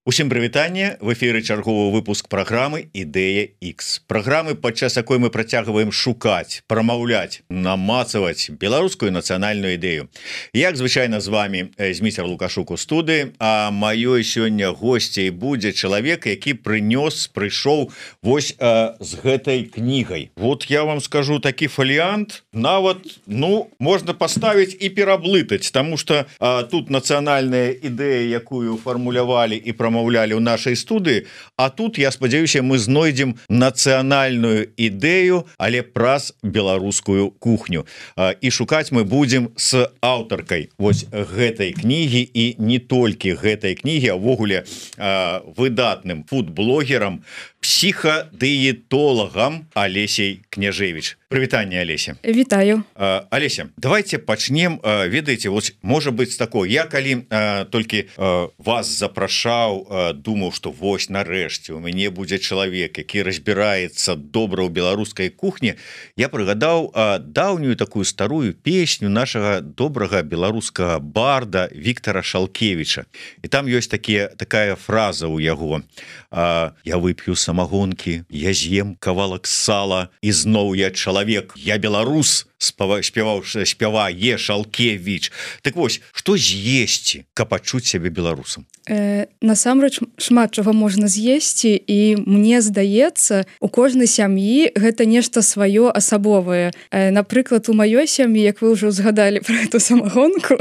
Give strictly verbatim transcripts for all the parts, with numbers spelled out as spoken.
Усім прывітанне, в эфіры чарговы выпуск праграмы Ідэя X. Праграмы, падчас якой мы працягваем шукаць, прамаўляць, намацаваць беларускую нацыянальную ідэю. Як звычайна з вами Зміцер Лукашук у студыі, а маёй сёння госцей будзе чалавек, які прынёс, прыйшоў вось а, з гэтай кнігай. Вот я вам скажу такі фаліянт, нават, ну, можна паставіць і пераблытаць, таму што а, тут нацыянальная ідэя, якую фармулявалі і прамаўлялі маўлялі ў нашай студыі, а тут, я спадзяюся, мы знойдзем нацыянальную ідэю, але праз беларускую кухню. І шукаць мы будзем з аўтаркай вось гэтай кнігі і не толькі гэтай кнігі, а ўвогуле выдатным фуд-блогерам, псіхадыетолагам Алесей Княжевич. Прывітанне, Алеся. Вітаю. Алеся, давайте пачнем, ведаеце, вот можа быць такое, я калі толькі вас запрашаў, думаў, што вось нарэшце у мяне будзе чалавек, які разбіраецца добра ў беларускай кухні, я прыгадаў даўнюю такую старую песню нашага добрага беларускага барда Віктара Шалкевіча. І там ёсць такія, такая фраза ў яго: я вып'ю самагонкі, я з'ем кавалак сала, і зноў я чалавек, я беларус, спяваў спявае Шалкевіч. Так вось, што з'есці, каб адчуць сябе беларусам? Э, насамрэч шмат чаго можна з'есці, і мне здаецца, у кожнай сям'і гэта нешта сваё асабовае. Э, напрыклад, у маёй сям'і, як вы ўжо згадалі пра эту самагонку,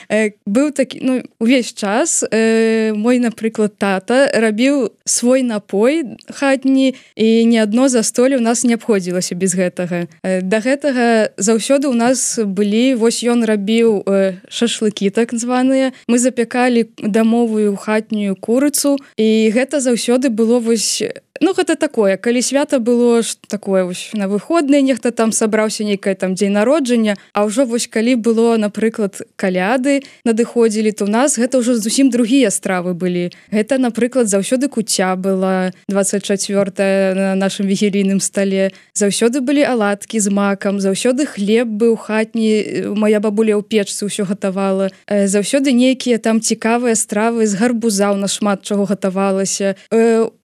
э, быў такі, ну, увесь час э, мой, напрыклад, тата рабіў свой напой хатні, і ні адно застолле ў нас не абходзілася без гэтага. Э, да гэтага заўсёды ў нас былі, вось ён рабіў э, шашлыкі так званыя, мы запякалі дамовую хатнюю курыцу, і гэта заўсёды было вось, ну, гэта такое, калі свята было такое вось на выходныя, нехта там сабраўся, нейкае там дзень народжання, а ўжо вось калі было, напрыклад, каляды надыходзілі, то ў нас гэта ўжо зусім другія стравы былі. Гэта, напрыклад, заўсёды куця была дваццаць чацвёртая на нашым вігілійным стале, заўсёды былі аладкі з макам, заўсёды хлеб быў хатні, моя бабуля ў печцы ўсё гатавала, заўсёды нейкія там цікавыя стравы з гарбуза, у нас шмат чаго гатавалася.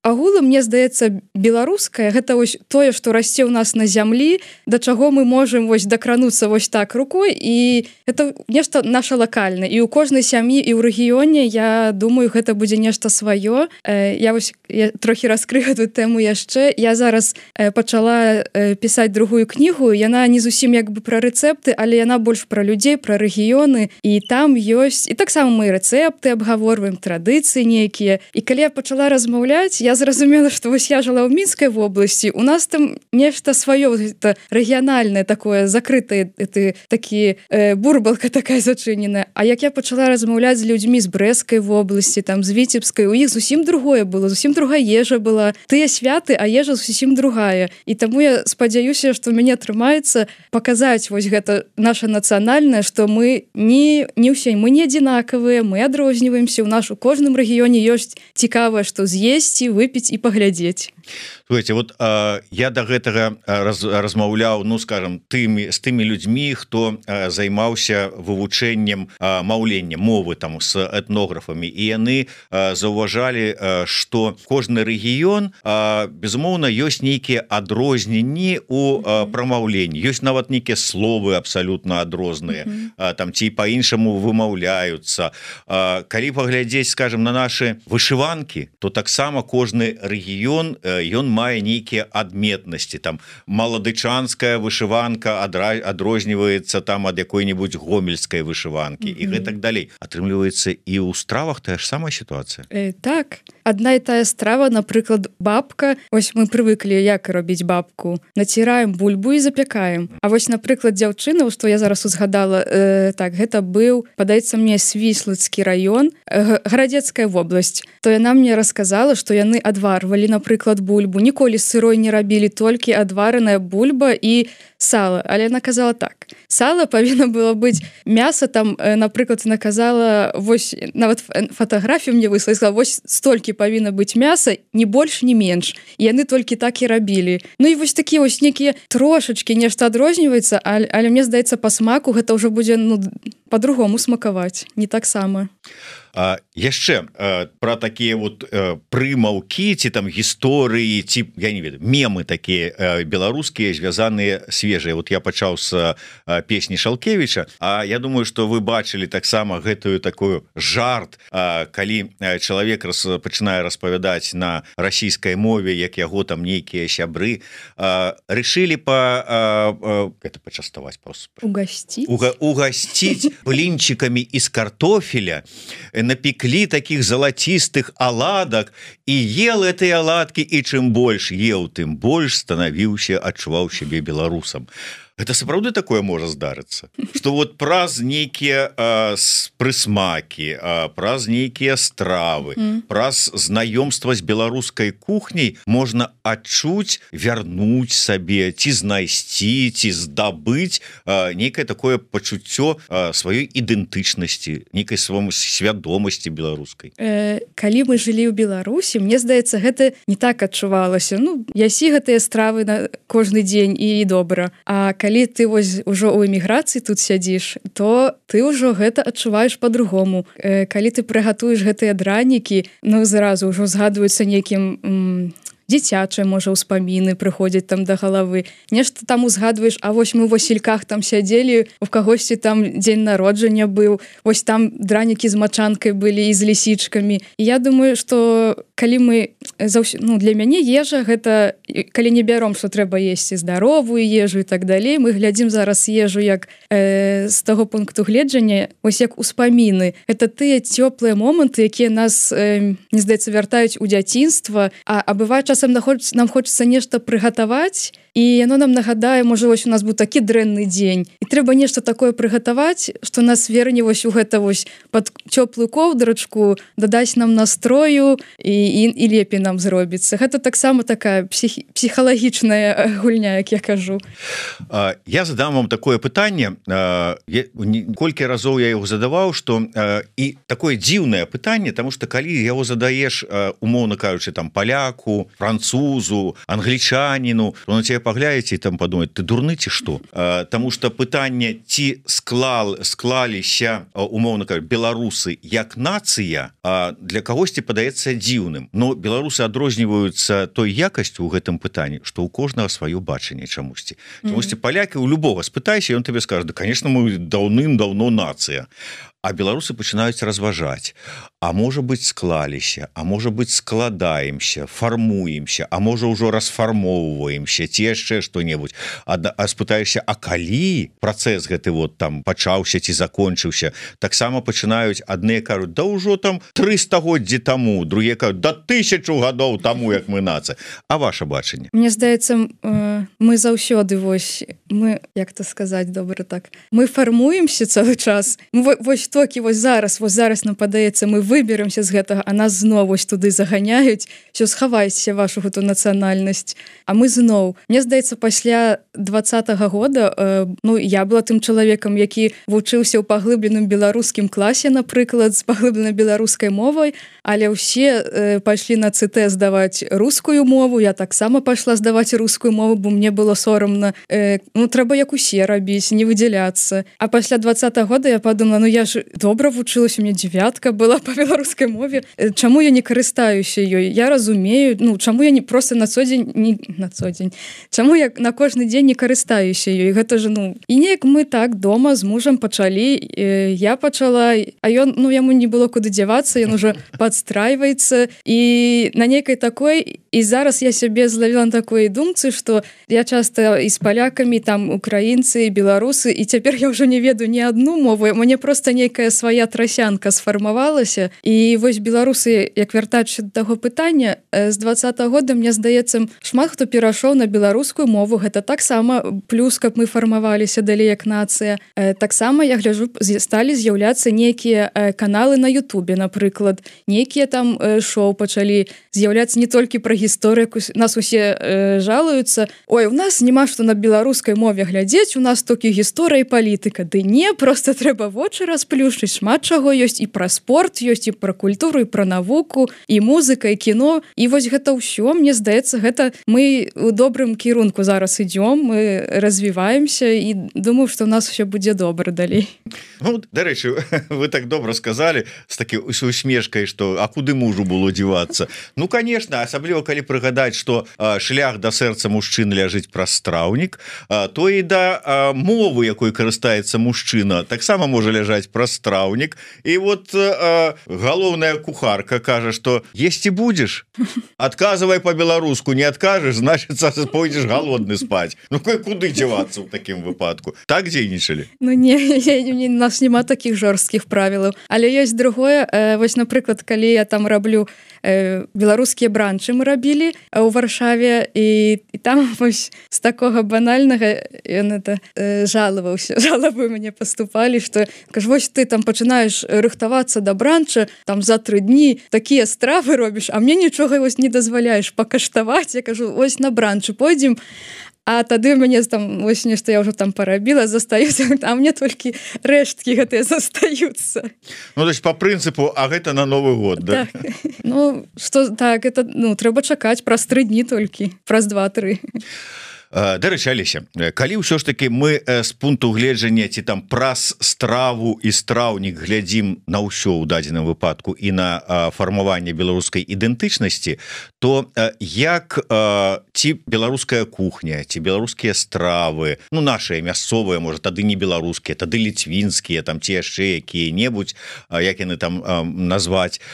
Агулам, мне здаецца, беларускае гэта вось тое, што расце ў нас на зямлі, да чаго мы можам вось дакрануцца вось так рукой, і это нешта наша лакальнае. І ў кожнай сям'і і ў рэгіёне, я думаю, гэта будзе нешта сваё. Я вось я трохі раскрыю гэтую тэму яшчэ. Я зараз пачала пісаць другую кнігу, яна не зусім як бы пра рэцэпты, але яна больш пра людзей, пра рэгіёны, і там ёсць, і таксама мы рэцэпты абгаворваем, традыцыі нейкія. І калі я пачала размаўляць, я зразумела, што вось я жыла ў Мінскай вобласці, у нас там нешта сваё, гэта рэгіянальнае такое, закрытае, это такі э, бурбалка такая зачыненая. А як я пачала размаўляць з людзьмі з Брэсцкай вобласці, там з Віцебскай, у іх зусім другое было, зусім другая ежа была. Тыя святы, а ежа зусім другая. І таму я спадзяюся, што ў мяне атрымаецца паказаць вось гэта наша нацыянальнае, што мы не, не ўсе, мы не адзінакавыя, мы адрозніваемся, у нас у кожным рэгіёне ёсць цікавае, што з'есці, выпіць і паглядзець. Слухайте, вот а, я до гэтага раз, размаўляў, ну, скажем, тымі, з тымі людзьмі, хто а, займаўся вывучэннем а, маўлення, мовы там з этнографамі, і яны а, заўважалі, а, што кожны рэгіён, а, безумоўна, ёсць нейкія адрозненні у а, прамаўленні, ёсць нават нейкія словы абсалютна адрозныя, mm-hmm. а, там ці па-іншаму вымаўляюцца. А, калі паглядзець, скажем, на нашы вышыванкі, то таксама кожны рэгіён, ён мае нейкія адметнасці, там маладычанская вышыванка адрозніваецца там ад якой-небудзь гомельскай вышыванкі, mm-hmm. і гэтак далей. Атрымліваецца, і ў стравах тая ж самая сітуацыя. Э, так, адна і тая страва, напрыклад, бабка, ось мы прывыклі як рабіць бабку, націраем бульбу і запякаем. А вось, напрыклад, дзяўчына, што я зараз узгадала, э, так, гэта быў, падаецца мне, Свіслацкі раён, э, Гарадзецкая вобласць, то яна мне расказала, што яны адварвалі, напрыклад, бульбу, ніколі сырой не рабілі, толькі адвараная бульба і сала. Але яна казала так: сала павінна было быць, мяса там, напрыклад, наказала, вось нават фатаграфію мне выслала, сказала, вось столькі павінна быць мяса, ні больш, ні менш. І яны толькі так і рабілі. Ну і вось такія вось некія трошачкі нешта адрозніваецца, але, але мне здаецца, па смаку гэта ўжо будзе, ну, по-другому смакаваць не таксама. А, яшчэ а, про такія вот а, прымаўкі ці там гісторыі ці я не ведаю мемы такія а, беларускія звязаныя свежыя. Вот я пачаў з а, песні Шалкевіча, а я думаю что вы бачылі таксама гэтую такую жарт, а, калі чалавек раз, пачынае распавядаць на расійскай мове, як яго там нейкія сябры а, решили па а, а, это пачаставаць просто угасціць Уга, угасціць блінчикамі из картофеля, напеклі таких залацістых аладак і ел этой аладкі, і чым больш еў, тым больш станавіўся, адчуваў сябе беларусам. Это сапраўды такое можа здарыцца, что вот праз нейкія прысмакі, праз нейкія стравы, mm. праз знаёмства з беларускай кухняй можна адчуць, вярнуць сабе ці знайсці, ці здабыць нейкае такое пачуццё сваёй ідэнтычнасці, нейкай сваёй свядомасці беларускай. Э, калі мы жылі ў Беларусі, мне здаецца, гэта не так адчувалася. Ну, ясі гэтыя стравы на кожны дзень і добра. А калі ты вось ужо ў эміграцыі тут сядзіш, то ты ўжо гэта адчуваеш по-другому. Э, калі ты прыгатуеш гэтыя дранікі, ну зразу ўжо згадваюцца нейкім м, дзіцячыя, можа, ўспаміны прыходзяць там да галавы. Нешта там узгадваеш, а вось мы ў Васільках там сядзелі, у кагосьці там дзень народжання быў, вось там дранікі з мачанкай былі і з лісічкамі. І я думаю, што калі мы заўсё... ну, для мяне ежа гэта, калі не бяром, што трэба есці здаровую ежу і так далей, мы глядзім зараз ежу як э, з таго пункту гледжання, вось як успаміны. Это тыя цёплыя моманты, якія нас, э, не здаецца, вяртаюць у дзяцінства, а, а бывае часам нам хочется нешта прыгатаваць, і яно нам нагадае, можа, вось у нас быў такі дрэнны дзень, і трэба нешта такое прыгатаваць, што нас верне вось у гэта вось пад цёплую коўдрачку, дадаць нам настрою і, і, і лепей нам зробіцца. Гэта таксама такая псіх, псіхалагічная гульня, як я кажу. А, я задам вам такое пытанне. А, я, колькі разоў я яго задаваў, што а, і такое дзіўнае пытанне, таму што калі яго задаеш, а, умоўна кажучы, там паляку, французу, англічаніну, то на тебе паглядзеце і там падумаць, ты дурны ці што? Таму што пытанне, ці склал, склаліся, умоўна кажучы, беларусы як нацыя, для кагосьці падаецца дзіўным. Но беларусы адрозніваюцца той якасцю ў гэтым пытанні, што ў кожнага сваё бачанне чамусьці. Чамусьці палякі ў любога спытайся, ён табе скажа, да, конечно, мы даўным-даўно нацыя. А беларусы пачынаюць разважаць. А можа быць, склаліся, а можа быць, складаемся, фармуемся, а можа, ўжо расфармоўваемся, ці яшчэ што-небудзь. А, а спытаешся, а калі працэс гэты вот там пачаўся ці закончыўся, таксама пачынаюць, адныя кажуць, да ўжо там тры стагоддзі таму, другія кажуць, да тысячу гадоў таму, як мы нацыя. А ваша бачанне? Мне здаецца, мы заўсёды вось, мы, як то сказаць, добра так, мы фармуемся цэлы час. Мы, вось токі вось зараз, вось зараз нам падаецца, мы выберемся з гэтага, а нас зноў вось туды заганяюць, все, схавайце вашу гэту нацыянальнасць. А мы зноў. Мне здаецца, пасля двадцатага года, э, ну, я была тым чалавекам, які вучыўся ў паглыбленым беларускім класе, напрыклад, з паглыбленай беларускай мовай, але ўсе э, пайшлі на ЦТ здаваць рускую мову, я таксама пайшла здаваць рускую мову, бо мне было сорамна. Э, ну, трэба як усе рабіць, не выдзяляцца. А пасля двадцатага года я подумала, ну, я ж добра вучылася, у мяне дзевятка была па беларускай мове. Чаму я не карыстаюся ёй? Я разумею, ну, чаму я не просто на цодзень, не на цодзень. Чаму я на кожны дзень не карыстаюся ёй? Гэта ж, ну, і неяк мы так дома з мужам пачалі, я пачала, а ён, ну, яму не было куды дзявацца, ён уже падстрайваецца, і на нейкай такой, і зараз я сябе злавіла на такой думцы, што я часта і з палякамі, там, украінцы, беларусы, і цяпер я ўжо не ведаю ні адну мову, мне просто нейкая свая трасянка сфармавалася. І вось беларусы, як вяртаючыся да таго пытання, з двадцатага года, мне здаецца, шмат хто перайшоў на беларускую мову. Гэта таксама плюс, каб мы фармаваліся далей як нацыя. Таксама, я гляджу, сталі з'яўляцца нейкія каналы на Ютубе, напрыклад. Нейкія там шоу пачалі з'яўляцца не толькі пра гісторыю. Нас усе жалуюцца. Ой, у нас няма што на беларускай мове глядзець, у нас толькі гісторыя і палітыка. Ды не, просто трэба вочы расплюнуць заплюшчыць, шмат чаго ёсць, і пра спорт ёсць, і пра культуру, і пра навуку, і музыка, і кіно. І вось гэта ўсё, мне здаецца, гэта мы у добрым кірунку зараз ідём, мы развіваемся, і думаю, што ў нас все будзе добра далей. Ну, дарэчы, вы так добра сказалі з такі усмешкай, што а куды мужу было дзівацца? Ну, конечно, асабліва калі прыгадаць, што а, шлях да сэрца мужчын ляжыць праз страўнік, а, то і да а, мовы, якой карыстаецца мужчына, таксама можа ляжаць праз страўнік. І вот а, галоўная кухарка кажа, што есці будзеш? Адказвай по-беларуску, не адкажаш, значит, пойдзеш галодны спаць. Ну, куды дзявацца ў такім выпадку? Так дзейнічалі? Ну, не, у нас няма такіх жорсткіх правілаў. Але ёсць другое, э, вось, напрыклад, калі я там раблю э, беларускія бранчы мы рабілі ў Варшаве, і, і там вось з такога банальнага ён это э, жалаваўся, жалабы мне паступалі, што кажу, вось ты там пачынаеш рыхтавацца да бранча, там за тры дні такія стравы робіш, а мне нічога вось не дазваляеш пакаштаваць. Я кажу, вось на бранчы пойдзем, а тады у мяне там вось нешта я ўжо там парабіла, застаюцца, а мне толькі рэшткі гэтыя застаюцца. Ну, то есть по прынцыпу, а гэта на Новы год, да? Так. Ну, што, так, это, ну, трэба чакаць праз тры дні толькі, праз два-тры. Дарэчы, Алеся, калі ўсё ж таки мы з пункту гледжання ці там праз страву і страўнік глядзім на ўсё ў дадзеным выпадку і на фармаванне беларускай ідэнтычнасці, то як ці беларуская кухня, ці беларускія стравы, ну нашыя мясцовыя, можа, тады не беларускія, тады ліцвінскія, там ці яшчэ якія-небудзь, як яны там назваць,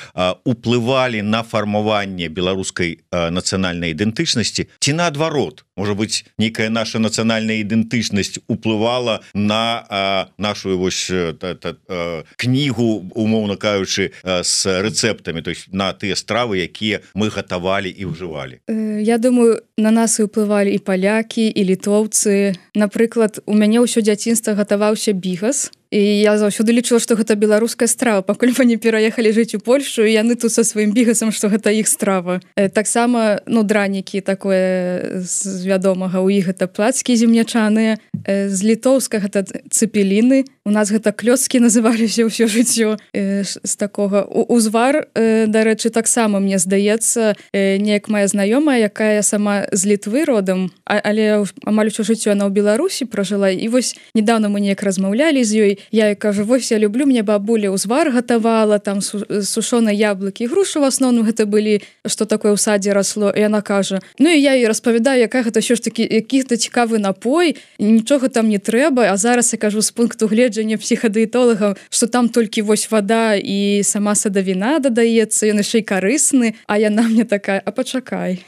уплывалі на фармаванне беларускай нацыянальнай ідэнтычнасці, ці наадварот, можа быць, нейкая наша нацыянальная ідэнтычнасць уплывала на а, нашу вось та, та, а, кнігу, умоўна кажучы, з рэцэптамі, то есть на тыя стравы, якія мы гатавалі і ўжывалі. Я думаю, на нас і ўплывалі і палякі, і літоўцы. Напрыклад, у мяне ўсё дзяцінства гатаваўся бігас, і я заўсёды лічыла, што гэта беларуская страва, пакуль мы не пераехалі жыць у Польшу, і яны тут са сваім бігасам, што гэта іх страва. Таксама, ну, дранікі такое з вядомага, у іх гэта плацкі земнячаныя, з літоўскага гэта цэпеліны, у нас гэта клёцкі называліся ўсё жыццё, з такога. Узвар, дарэчы, таксама, мне здаецца, неяк моя знаёмая, якая сама з Літвы родам, але амаль усё жыццё яна ў Беларусі пражыла, і вось недавно мы неяк размаўлялі з ёй. Я кажу, вось я люблю, мне бабуля узвар гатавала, там сушоныя яблыкі, грушы в асноўным гэта былі, што такое ў садзе расло, і яна кажа, ну і я ёй распавядаю, якая гэта ўсё ж такі які-то цікавы напой, нічога там не трэба, а зараз я кажу з пункту гледжання псіхадыетолагаў, што там толькі вось вада і сама садавіна дадаецца, ён яшчэ і карысны, а яна мне такая, а пачакай,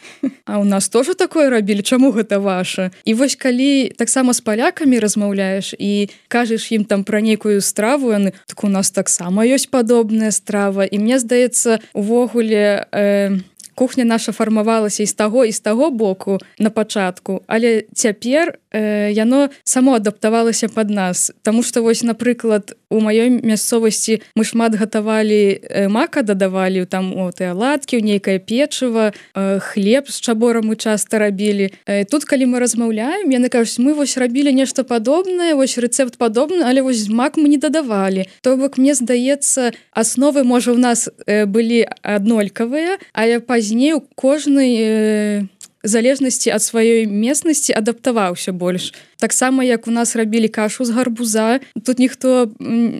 а у нас тоже такое рабілі, чаму гэта ваша? І вось калі таксама з палякамі размаўляеш і кажаш ім там пра нейкую страву, яны, так у нас таксама ёсць падобная страва, і мне здаецца, увогуле э, кухня наша фармавалася і з таго і з таго боку на пачатку, але цяпер э, яно само адаптавалася пад нас, таму што вось, напрыклад, у маёй мясцовасці мы шмат гатавалі э, мака, дадавалі там о, тыя аладкі, нейкае печыва, э, хлеб з чаборам мы часта рабілі. Э, тут, калі мы размаўляем, яны кажуць, мы вось рабілі нешта падобнае, вось рэцэпт падобны, але вось мак мы не дадавалі. То бок, мне здаецца, асновы, можа, у нас э, былі аднолькавыя, але пазней у кожнай э, залежнасці ад сваёй местнасці адаптаваўся больш. Таксама, як у нас рабілі кашу з гарбуза, тут ніхто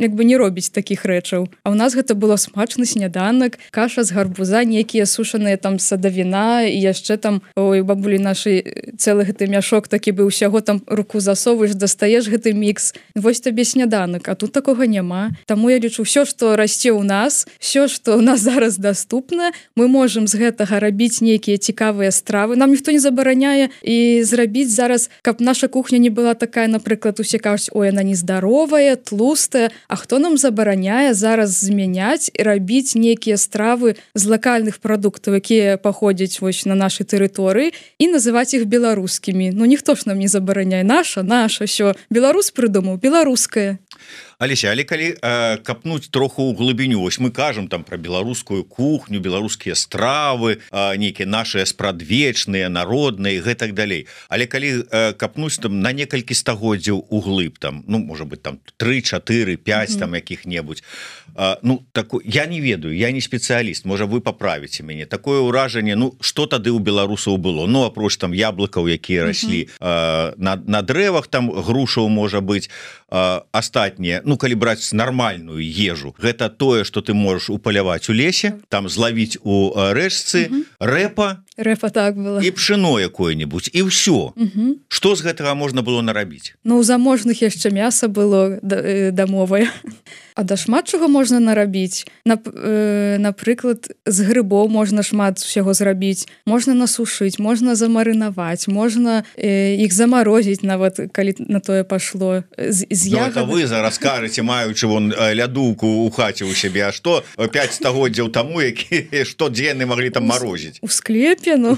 як бы не робіць такіх рэчаў. А ў нас гэта было смачны сняданак, каша з гарбуза, нейкія сушаныя там садавіна, і яшчэ там, ой, бабулі нашай цэлы гэты мяшок такі быў, усяго там руку засовываеш, дастаеш гэты мікс. Вось табе сняданак, а тут такога няма. Таму я лічу, ўсё, што расце ў нас, ўсё, што ў нас зараз даступна, мы можам з гэтага рабіць нейкія цікавыя стравы. Нам ніхто не забараняе і зрабіць зараз, каб наша кухня не была такая, напрыклад, усе кажуць, ой, она нездаровая, тлустая, а хто нам забараняе зараз змяняць і рабіць нейкія стравы з лакальных прадуктаў, якія паходзяць вось на нашай тэрыторыі, і называць іх беларускімі. Ну ніхто ж нам не забараняе, наша, наша, ўсё. Беларус прыдумаў, беларускае. Алеся, але калі э, капнуць троху ў глыбіню, вось мы кажам там про беларускую кухню, беларускія стравы, э, нейкія нашыя спрадвечныя, народныя, гэтак далей. Але калі э, капнуць там на некалькі стагоддзяў углыб, там, ну, можа быть, там тры, чатыры, пяць, mm-hmm. там якіх-небудзь. Э, ну, таку, я не ведаю, я не спецыяліст, можа, вы паправіце мяне. Такое ўражанне, ну, што тады ў беларусаў было? Ну, апроч там яблыкаў, якія раслі mm-hmm. э, на, на дрэвах, там грушаў, можа быць, э, астатнія, ну, калі браць нармальную ежу, гэта тое, што ты можаш упаляваць у лесе, там злавіць у рэчцы, mm-hmm. рэпа, рэпа так было. І пшено якое-небудзь, і ўсё. Mm-hmm. Што з гэтага можна было нарабіць? Ну, у заможных яшчэ мяса было дамовае. А да шмат чаго можна нарабіць. Нап, э, напрыклад, з грыбоў можна шмат усяго зрабіць. Можна насушыць, можна замарынаваць, можна э, іх замарозіць, нават калі на тое пашло. З, з ну, ягод... это вы зараз кажаце, маючы вон лядоўку ў хаце ў сябе, а што пяць стагоддзяў таму, які штодзенны маглі там марозіць? У склепе, ну.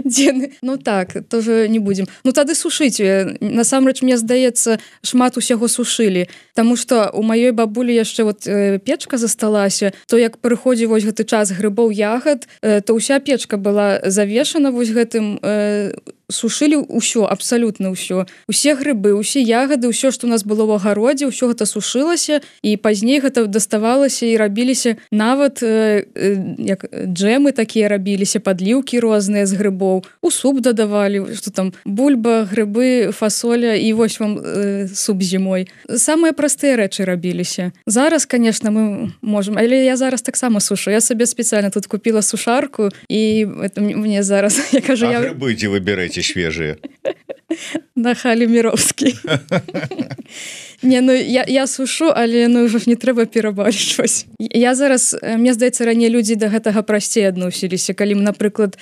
Дзены. Ну так, тоже не будзем. Ну тады сушыць. Насамрэч, мне здаецца, шмат усяго сушылі. Таму што у маёй бабулі яшчэ вот э, печка засталася, то як прыходзіў вось гэты час грыбоў ягад, э, то ўся печка была завешана вось гэтым, э, сушылі ўсё, абсалютна ўсё. Усе грыбы, усе ягады, ўсё, што у нас было ў агародзе, ўсё гэта сушылася, і пазней гэта даставалася і рабіліся нават э, э, як джэмы такія рабіліся, падліўкі розныя з грыбоў, у суп дадавалі, што там бульба, грыбы, фасоля, і вось вам э, суп зімой. Самыя простыя рэчы рабіліся. Зараз, конечно, мы можем, але я зараз таксама сушу. Я сабе спецыяльна тут купила сушарку, і это мне зараз, я кажу, а я... грыбы дзе вы береце свежие? На Халі Міровскі. Не, ну я, я сушу, але ну ўжо ж не трэба перабольшваць. Я зараз, мне здаецца, раней людзі да гэтага прасцей адносіліся. Калі, напрыклад,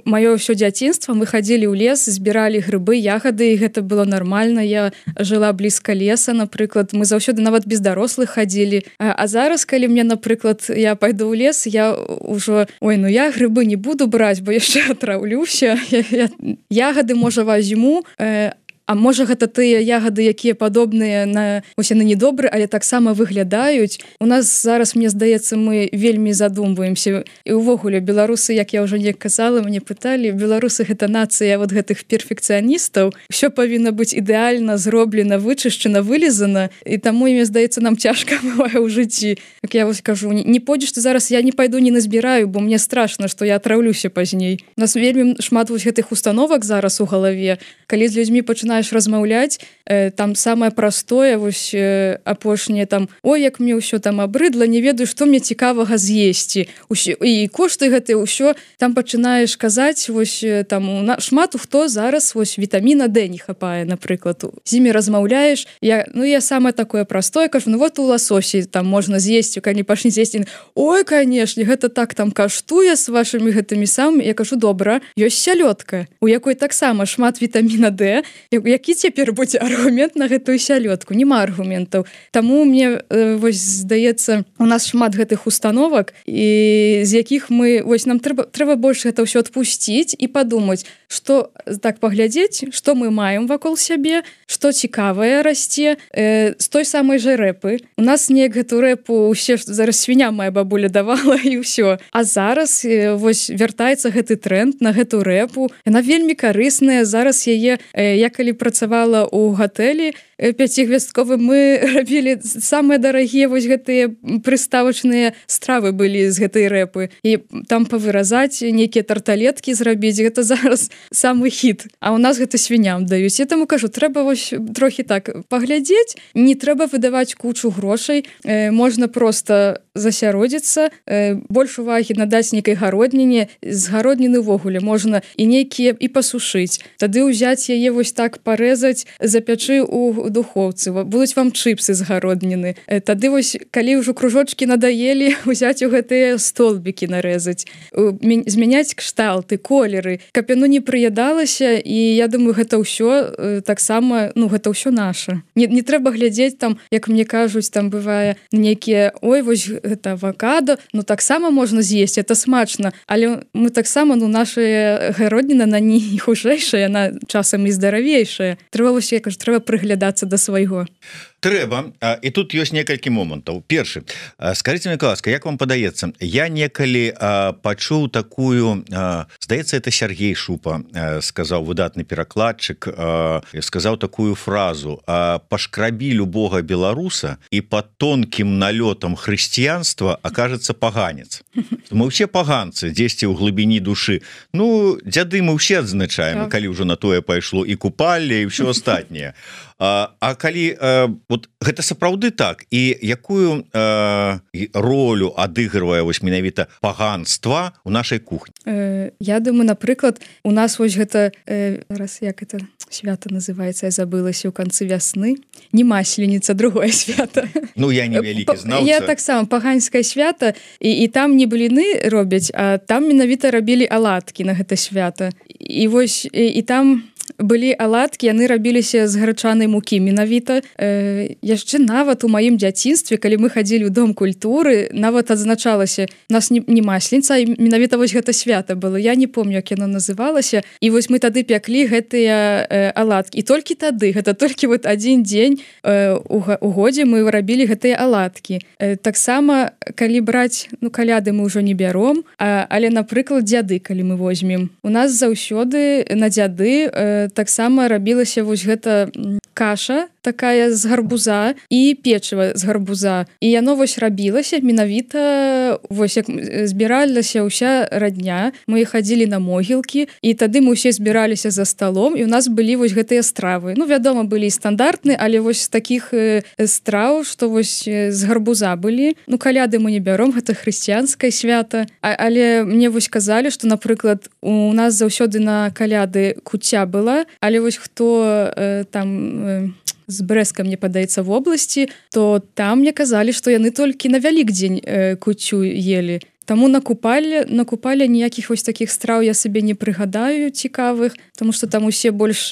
маё ўсё дзяцінства, мы хадзілі ў лес, збіралі грыбы, ягады, і гэта было нармальна. Я жыла блізка леса, напрыклад, мы заўсёды нават без дарослых хадзілі. А, а зараз, калі мне, напрыклад, я пайду ў лес, я ўжо, ой, ну я грыбы не буду браць, бо яшчэ атраўлюся. Я, я, ягады, можа, возьму, э, а можа гэта тыя ягады, якія падобныя на усе на недобры, але таксама выглядаюць. У нас зараз, мне здаецца, мы вельмі задумваемся. І ўвогуле беларусы, як я ўжо не казала, мне пыталі, беларусы гэта нацыя вот гэтых перфекцыяністаў. Усё павінна быць ідэальна зроблена, вычышчана, вылізана, і таму, мне здаецца, нам цяжка бывае ў жыцці. Як я вось кажу, не, не пойдзеш ты зараз, я не пайду, не назбіраю, бо мне страшна, што я атраўлюся пазней. У нас вельмі шмат вось гэтых установак зараз у галаве. Калі з людзьмі пачынаюць размаўляць, э, там самае простое, вось э, апошняе там, ой, як мне ўсё там абрыдла, не ведаю, што мне цікавага з'есці. Усё, і кошты гэтыя ўсё, там пачынаеш казаць, вось там на, шмат хто зараз вось вітаміна Д не хапае, напрыклад. З імі размаўляеш, я, ну я самае такое простое, кажу, ну вот у ласосі там можна з'есці, калі пачне з'есці, ой, канешне, гэта так там каштуе з вашымі гэтымі самымі, я кажу, добра, ёсць сялёдка, у якой таксама шмат вітаміна Д, які цяпер будзе аргумент на гэтую сялёдку? Нема аргументаў. Таму мне э, вось здаецца, у нас шмат гэтых установак, і з якіх мы, вось нам трэба, трэба больш гэта ўсё адпусціць і падумаць, што так паглядзець, што мы маем вакол сябе, што цікавае расце, э, з той самай жа рэпы. У нас неяк гэту рэпу усе, зараз свіня моя бабуля давала, і ўсё. А зараз э, вось вяртаецца гэты тренд на гэту рэпу. Яна вельмі карысная. Зараз яе, э, я калі працавала ў гатэлі пяцігвяздковым, мы рабілі самыя дарагія вось гэтыя прыставачныя стравы былі з гэтай рэпы. І там павыразаць, нейкія тарталеткі зрабіць, гэта зараз самы хіт. А ў нас гэта свіням даюць. Я таму кажу, трэба вось трохі так паглядзець, не трэба выдаваць кучу грошай, э, можна проста засяродзіцца, э, больш увагі надаць нейкай гародніне, з гародніны ўвогуле можна і нейкія і пасушыць. Тады ўзяць яе вось так парэзаць, запячы ў духоўцы, будуць вам чыпсы з гародніны. Тады вось, калі ўжо кружочкі надаелі, узяць у гэтыя столбікі нарэзаць, змяняць кшталты, колеры, каб яно не прыядалася, і я думаю, гэта ўсё таксама, ну, гэта ўсё наша. Не, не трэба глядзець там, як мне кажуць, там бывае нейкія, ой, вось гэта авакадо, ну, таксама можна з'есці, это смачна, але мы таксама, ну, наша гародніна, на не хужэйшая, яна часам і здаравейшая. Трэба вось, я кажу, трэба прыглядацца да свайго. трэба. І тут ёсць некалькі момантаў. Першы, скажите мне, ласка, як вам падаецца, я некалі пачуў такую, здаецца, это Сергей Шупа сказаў, выдатны перакладчык, сказаў такую фразу: пашкрабі любога беларуса і под тонкім налётам хрысціянства окажется паганец. Мы ўсе паганцы дзесьці ў глыбіні душы. Ну, дзяды мы ўсе адзначаем, так. Калі ўжо на тое пайшло і купалле, і ўсё астатняе. А, а калі э, вот гэта сапраўды так, і якую э, ролю адыгрывае вось менавіта паганства ў нашай кухні? Э, я думаю, напрыклад, у нас вось гэта э, раз як это свята называецца, я забылася ў канцы вясны, не масленіца, другое свята. Ну я не вялікі знаўца. Я таксама паганскае свята, і, і там не бліны робяць, а там менавіта рабілі аладкі на гэта свята. І вось і, і там былі аладкі, яны рабіліся з грачанай мукі менавіта. Э, яшчэ нават у маім дзяцінстве, калі мы хадзілі ў дом культуры, нават адзначалася, у нас не, не масленіца, а менавіта вось гэта свята было. Я не помню, як яно называлася. І вось мы тады пяклі гэтыя э, аладкі. І толькі тады, гэта толькі вот адзін дзень э, у, у годзе мы рабілі гэтыя аладкі. Э, таксама, калі браць, ну, каляды мы ўжо не бяром, а, але, напрыклад, дзяды, калі мы возьмем. У нас заўсёды на дзяды э, таксама рабілася вось гэта каша такая з гарбуза і печыва з гарбуза. І яно вось рабілася менавіта, вось як збіралася ўся радня, мы хадзілі на могілкі, і тады мы ўсе збіраліся за сталом, і у нас былі вось гэтыя стравы. Ну, вядома, былі стандартны, але вось з такіх страў, што вось з гарбуза былі. Ну, каляды мы не бяром, гэта хрысціянскае свята. А, але мне вось казалі, што, напрыклад, у нас заўсёды на каляды куця была, але вось хто э, там э, з Брэска, мне падаецца, в обласці, то там мне казалі, што яны толькі на Вялікдзень э, куцю елі. Таму на купалле, на купалле ніякіх вось такіх страў я сабе не прыгадаю цікавых, тому што там усе больш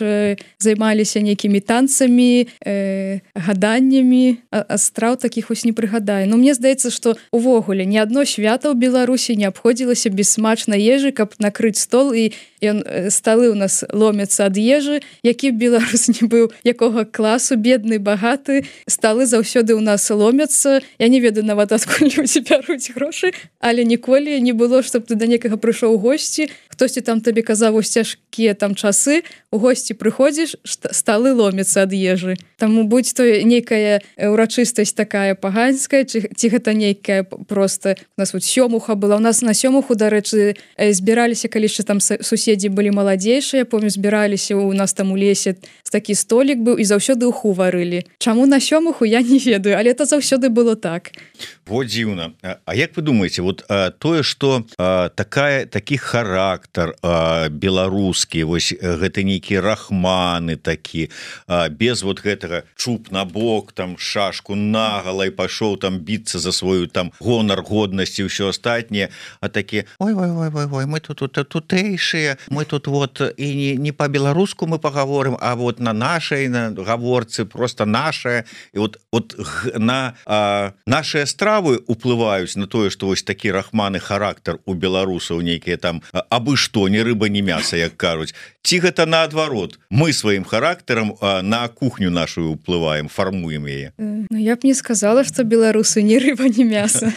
займаліся нейкімі танцамі, э, гаданнямі, а, а страў такіх вось не прыгадаю. Но мне здаецца, што увогуле ні адно свята ў Беларусі не абходзілася без смачнай ежы, каб накрыць стол, і ён, сталы ў нас ломяцца ад ежы, які б беларус не быў, якога класу, бедны, багаты, сталы заўсёды ў нас ломяцца. Я не ведаю нават, адкуль людзі бяруць грошы, але ніколі не было, чтоб ты да некага прыйшоў у госці, хтосьці там табе казаў вось цяжкія там часы, у госці прыходзіш, сталы ломяцца ад ежы. Таму будь то нейкая урачыстасць такая паганская, ці, ці гэта нейкая проста, у нас вот сёмуха была, у нас на сёмуху, дарэчы, збіраліся, калі яшчэ там суседзі былі маладзейшыя, помню, збіраліся у нас там у лесе, такі столік быў, і заўсёды уху варылі. Чаму на сёмуху, я не ведаю, але это заўсёды было так. Во дзіўна. А як вы думаеце, вот а, тое, што а, такая, такі характар а, беларускі, вось гэта нейкія рахманы такі, а, без вот гэтага чуб на бок, там шашку нагала і пайшоў там біцца за сваю там гонар, годнасць і ўсё астатняе, а такі, ой-ой-ой-ой, мы тут, тут тутэйшыя, мы тут вот і не, не па-беларуску мы пагаворым, а вот на нашай на гаворцы просто нашая, і вот, вот на а, нашыя стравы уплываюць на тое, што вось такі рахманы характар у беларусаў нейкія там абы што, не рыба, не мяса, як кажуць. Ці гэта наадварот, мы сваім характарам а, на кухню нашу уплываем, фармуем яе? Ну, я б не сказала, што беларусы не рыба, не мяса.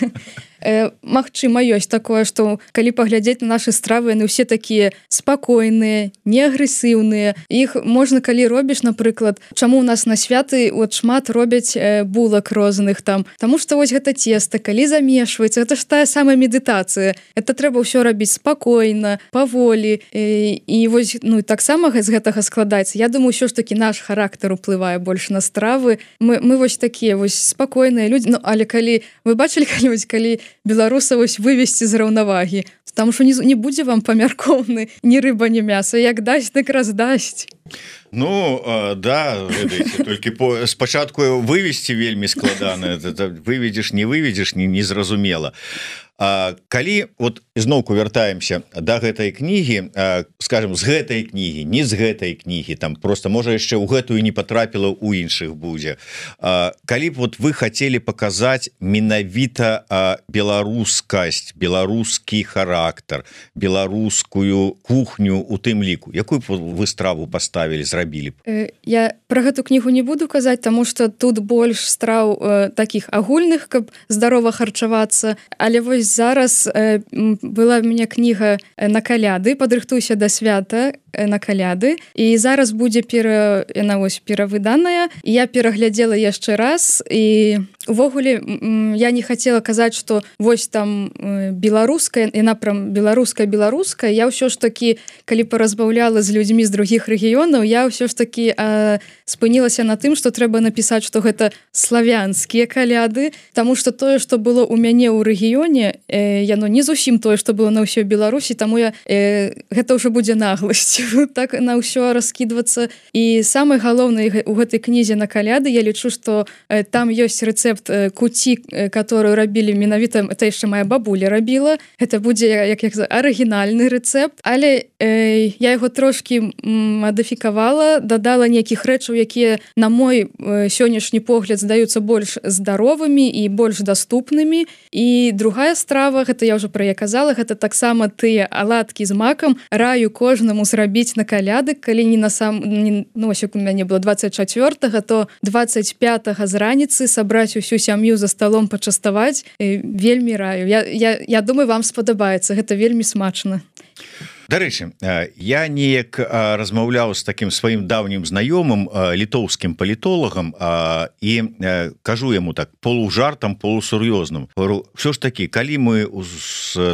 Э, магчыма, ёсць такое, што калі паглядзець на нашы стравы, яны ўсе такія спакойныя, не агрэсіўныя. Іх можна, калі робіш, напрыклад, чаму у нас на святы от шмат робяць э, булак розных там, таму што вось гэта цеста, калі замешваецца, гэта ж тая самая медытацыя. Это трэба ўсё рабіць спакойна, паволі. Э, і вось, ну, таксама з гэтага складаецца. Я думаю, ўсё ж такі наш характар уплывае больш на стравы. Мы, мы вось такія вось спакойныя людзі. Ну, але калі вы бачылі калі-нибудь, калі беларуса вось вывесці з раўнавагі, там што не, не будзе вам памяркоўны ні рыба, ні мяса, як дасць, так раздасць. Ну, э, да, ведаеце, толькі по, спачатку вывесці вельмі складана, выведзеш, не выведзеш, не, не зразумела. А, калі вот зноўку вяртаемся до гэтай кнігі, а, скажем, з гэтай кнігі, не з гэтай кнігі, там просто можа яшчэ ў гэтую не потрапіла, у іншых будзе. А, калі б вот вы хотели показать менавіта а, беларускасць, беларускі характар, беларускую кухню у тым ліку, якую б вы страву поставили, зрабілі б? Я про гэту кнігу не буду казаць, тому что тут больш страў э, таких агульных, каб здарова харчавацца, але вось зараз э, была у меня кніга на каляды, падрыхтуйся да свята э, на каляды, і зараз будзе пера, яна вось перавыданая, і я пераглядзела яшчэ раз, і увогуле я не хотела казаць, что вось там э, беларуская, яна прям беларуская беларуская, я ўсё ж таки, калі паразмаўляла з людзьмі з других рэгіёнаў, я ўсё ж таки э, спынілася на тым, что трэба напісаць, что гэта славянскія каляды, тому что тое, что было у мяне ў рэгіёне, э, яно не зусім тое, што было на ўсёй Беларусі, таму я э, гэта ўжо будзе нагласць так на ўсё раскідвацца. І самае галоўнае у гэтай кнізе на каляды, я лічу, што э, там ёсць рэцэпт э, куці, э, которую рабілі менавіта, это яшчэ моя бабуля рабіла, гэта будзе як, як арыгінальны рэцэпт, але э, я яго трошки мадыфікавала, дадала нейкіх рэчаў, якія на мой э, сённяшні погляд здаюцца больш здаровымі і больш даступнымі. І другая страва, гэта я ўжо пра я казала, гэта таксама тыя аладкі з макам, раю кожнаму зрабіць на каляды, калі не на сам не, ну, ось у мяне было двадцать чацвёртага, то двадцать пятага з раніцы сабраць усю сям'ю за сталом, пачаставаць, вельмі раю. Я, я, я думаю, вам спадабаецца, гэта вельмі смачна. Дарэчы, я неяк размаўляў з таким сваім даўнім знаёмым літоўскім палітолагам і кажу яму так полужартам, полусур'ёзным. Говорю, все ж таки, калі мы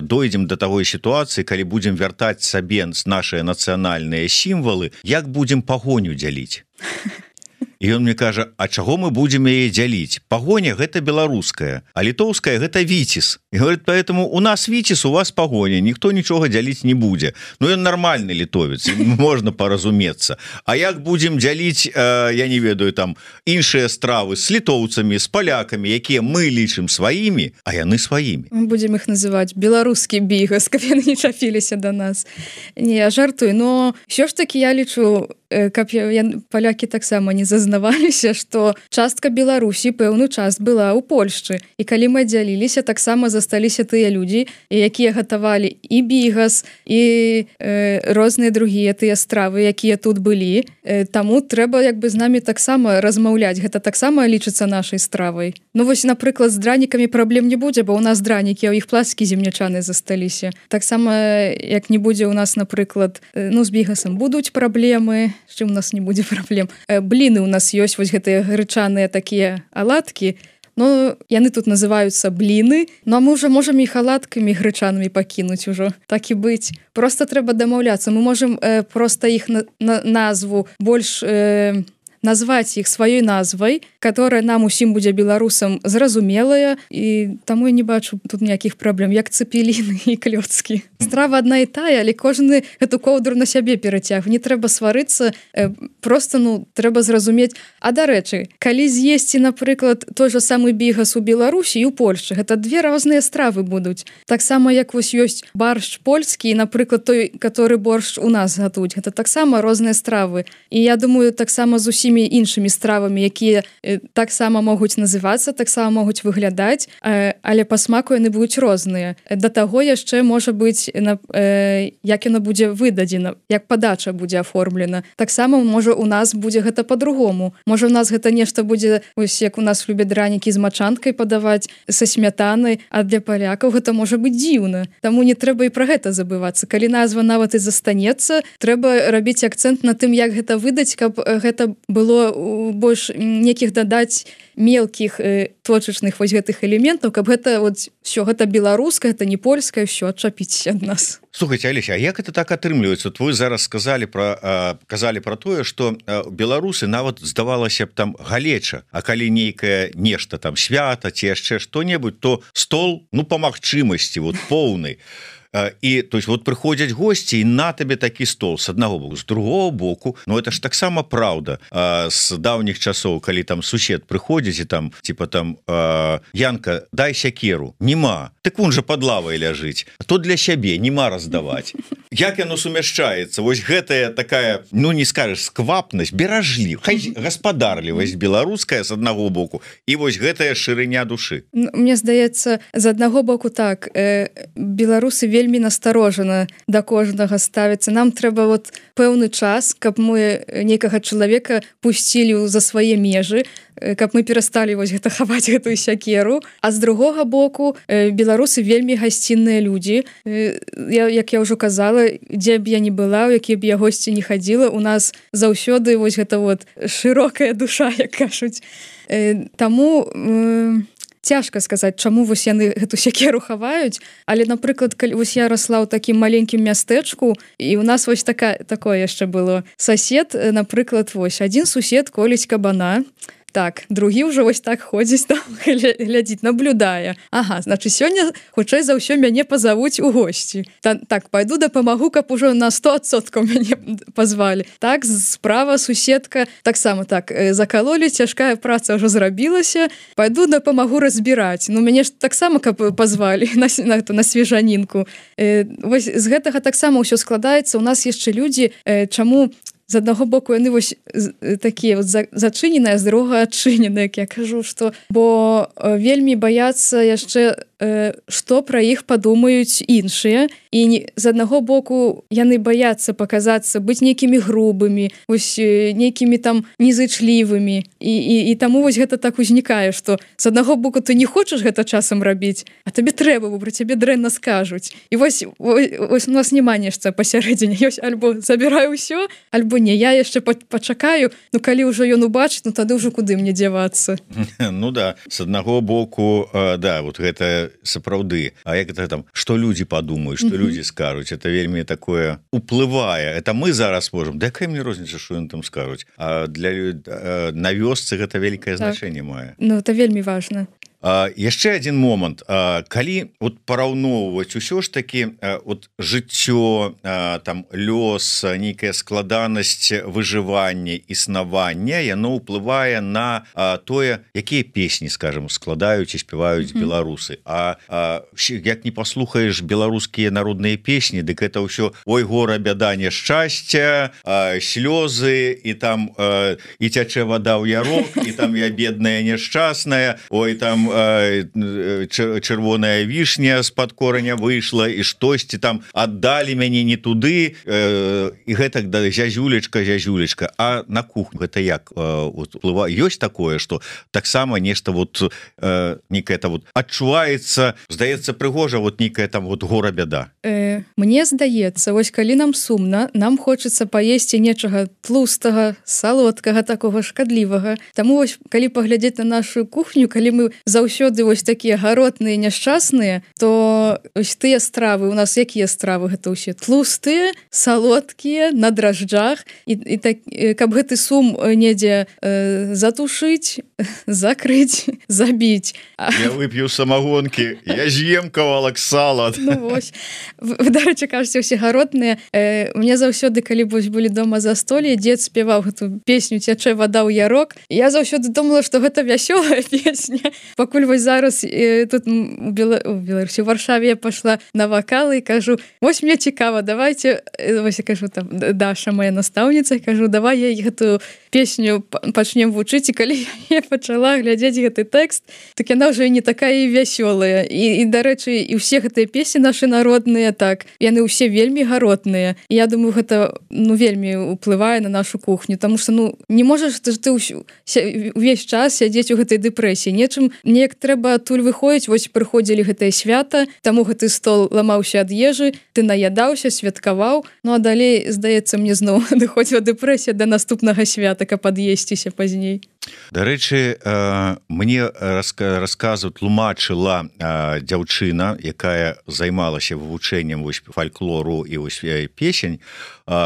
дойдзем до такой сітуацыі, калі будзем вяртаць сабе нашыя нацыянальныя сімвалы, як будзем пагоню дзяліць? І ён мне кажа, а чаго мы будзем яе дзяліць? Пагоня гэта беларуская, а літоўская гэта віцис. І говорит, поэтому у нас віцис, у вас пагоня, ніхто нічога дзяліць не будзе. Ну ён нармальны літовец, можна паразумецца. А як будзем дзяліць, э, я не ведаю, там іншыя стравы з літоўцамі, з палякамі, якія мы лічым сваімі, а яны сваімі. Мы будзем іх называць беларускі бігас, каб яны не чапіліся да нас. Не, я жартую, но ўсё ж таки я лічу, каб я, я, палякі таксама не зазнаваліся, што частка Беларусі пэўны час была ў Польшчы. І калі мы дзяліліся, таксама засталіся тыя людзі, якія гатавалі і бігас, і э, розныя другія тыя стравы, якія тут былі. Э, таму трэба як бы з намі таксама размаўляць. Гэта таксама лічыцца нашай стравай. Ну вось, напрыклад, з дранікамі праблем не будзе, бо ў нас дранікі, а ў іх пласткі земнячаны засталіся. Таксама, як не будзе ў нас, напрыклад, э, ну з бігасам будуць праблемы, з чым у нас не будзе праблем. Бліны у нас ёсць вось гэтыя грычаныя такія аладкі, но яны тут называюцца бліны, но мы ўжо можам іх аладкамі грычанымі пакінуць ужо, так і быць. Просто трэба дамаўляцца, мы можам э, проста іх на, на, назву больш э, назваць іх сваёй назвай, которая нам усім будзе беларусам зразумелая, і таму я не бачу тут ніякіх праблем, як цэпеліны і клёцкі. Страва адна і тая, але кожны эту коўдру на сябе перацяг. Не трэба сварыцца, э, просто ну трэба зразумець. А дарэчы, калі з'есці, напрыклад, той же самы бігас у Беларусі і ў Польшчы, гэта две розныя стравы будуць. Таксама як вось ёсць баршч польскі, і, напрыклад, той, который боршч у нас гатуюць, гэта таксама розныя стравы. І я думаю, таксама з усімі іншымі стравамі, якія э, таксама могуць называцца, таксама могуць выглядаць, э, але па смаку яны будуць розныя. Да таго яшчэ можа быць, на, э, як яно будзе выдадзена, як падача будзе аформлена. Таксама можа у нас будзе гэта по-другому. Можа у нас гэта нешта будзе, ось як у нас любяць дранікі з мачанкай падаваць, са смятанай, а для палякаў гэта можа быць дзіўна. Таму не трэба і пра гэта забывацца. Калі назва нават і застанецца, трэба рабіць акцэнт на тым, як гэта выдаць, каб гэта было больш некіх дадаць мелкіх э, точачных вось гэтых элементаў, каб гэта вот все гэта беларускае, гэта не польскае, все адчапіць ад нас. Слухайте, Алеся, а як это так атрымліваецца? Вот вы зараз сказали про казалі про тое, что беларусы нават здавалася б там галеча, а калі нейкае нешта там свята ці яшчэ што-небудзь, то стол ну по магчымасці вот поўны. і то есть вот прыходзяць госці і на табе такі стол с аднаго боку, з другого боку, ну это ж таксама праўда з даўніх часоў, калі там сусед прыходзіць і там типа там Янка, дай сякеру, нема, так вон жа под лавай ляжыць, а то для сябе нема раздаваць. Як яно сумяшчаецца? Вось гэтая такая, ну не скажешь, сквапнасць, беражлі, хай гаспадарлівасць беларуская з аднаго боку і вось гэтая шырыня душы. Мне здаецца, з аднаго боку так, э, беларусы вельмі насторожана да кожнага ставіцца. Нам трэба вот пэўны час, каб мы некага чалавека пусцілі за свае межы, каб мы перасталі вось гэта хаваць гэтую сякеру. А з другога боку, э, беларусы вельмі гасцінныя людзі. Э, я, як я ўжо казала, дзе б я не была, у якія б я госці не хадзіла, у нас заўсёды вось гэта вот шырокая душа, як кажуць. Э, таму э, цяжка сказаць, чаму вось яны гэту сякеру хаваюць, але, напрыклад, калі вось я расла ў такім маленькім мястэчку, і у нас вось така, такое яшчэ было. Сосед, напрыклад, вось, адзін сусед коліць кабана, так, другі ўжо вось так ходзіць там, глядзіць, наблюдае. Ага, значит, сёння хутчэй за ўсё мяне пазавуць у госці. Та, так, пайду дапамагу, каб ужо на сто адсоткаў мяне пазвалі. Так, справа суседка, таксама так, закалолі, цяжкая праца ўжо зрабілася, пайду дапамагу разбіраць. Ну, мяне ж таксама, каб пазвалі на, на, на свежанінку. Э, вось з гэтага таксама ўсё складаецца. У нас яшчэ людзі, э, чаму з аднаго боку яны вось такія вот зачыненыя, з другога адчыненыя, як я кажу, што бо вельмі баяцца яшчэ, што пра іх падумаюць іншыя, і з аднаго боку яны баяцца паказацца, быць нейкімі грубымі, вось нейкімі там незычлівымі, і, і, і таму вось гэта так узнікае, што з аднаго боку ты не хочаш гэта часам рабіць, а табе трэба, бо пра цябе дрэнна скажуць. І вось, вось, вось у нас няма нешта пасярэдзіне, ёсць альбо забіраю ўсё, альбо не, я яшчэ пачакаю, ну калі ўжо ён убачыць, ну тады ўжо куды мне дзявацца. Ну да, з аднаго боку, да, вот гэта сапраўды, а як это там, што людзі падумаюць, што людзі скажуць, это вельмі такое уплывае, это мы зараз можам, да якая мне розніца, што ён там скажуць, а для на вёсцы гэта вялікае значэнне мае. Ну это вельмі важна. А, яшчэ один момант, а, калі вот параўноўваць усё ж таки а, вот жыццё, а, там лёс, нейкая складанасць выжывання, існавання, яно ўплывае на а, тое, якія песні, скажем, складаюць і спяваюць mm-hmm. беларусы. А, а як не паслухаеш беларускія народныя песні, дык это ўсё ой гора бяда няшчасця, а, слёзы і там а, і цячэ вада ў ярок, і там я бедная няшчасная, ой там чырвоная вішня з-пад кораня выйшла і штосьці там аддалі мяне не туды, э, і гэтак да зязюлечка, зязюлечка. А на кухню гэта як уплывае? Ёсць такое, што таксама нешта вот э, некая там вот адчуваецца, здаецца прыгожа, вот нейкая там вот гора бяда. Э, мне здаецца, вось калі нам сумна, нам хочацца паесці нечага тлустага, салодкага, такога шкадлівага. Таму вось калі паглядзець на нашу кухню, калі мы заўсёды вось такія гаротныя, няшчасныя, то ось тыя стравы, у нас якія стравы гэта ўсе? Тлустыя, салодкія, на дражджах, і, і так, каб гэты сум недзе э, затушыць, закрыць, забіць. Я вып'ю самагонкі, я з'ем кавалак сала. Ну вось. Вы, дарэчы, кажаце, усе гаротныя. Э, мне заўсёды, калі вось былі дома застолле, дзед спяваў гэту песню «Цячэ вада ў ярок». Я заўсёды думала, што гэта вясёлая песня. Пакуль вось зараз э, тут у, Бела... у Беларусі, у Варшаве я пашла на вакалы і кажу, вось мне цікава, давайте, вось я кажу, там, Даша, моя настаўніца, кажу, давай я гэтую песню пачнем вучыць, і калі я пачала глядзець гэты тэкст, так яна ўжо не такая і вясёлая. І, і дарэчы, і ўсе гэтыя песні нашы народныя, так, яны ўсе вельмі гаротныя. І я думаю, гэта, ну, вельмі ўплывае на нашу кухню, таму што, ну, не можаш ты, ты ўсю, увесь час сядзець у гэтай дэпрэсіі. Нечым, неяк трэба адтуль выходзіць, вось прыходзілі гэтае свята, таму гэты стол ламаўся ад ежы, ты наядаўся, святкаваў, ну а далей, здаецца, мне зноў адыходзіла дэпрэсія да наступнага свята, каб ад'есціся пазней. Дарэчы, мне расказу тлумачыла дзяўчына, якая займалася вывучэннем фальклору і песень,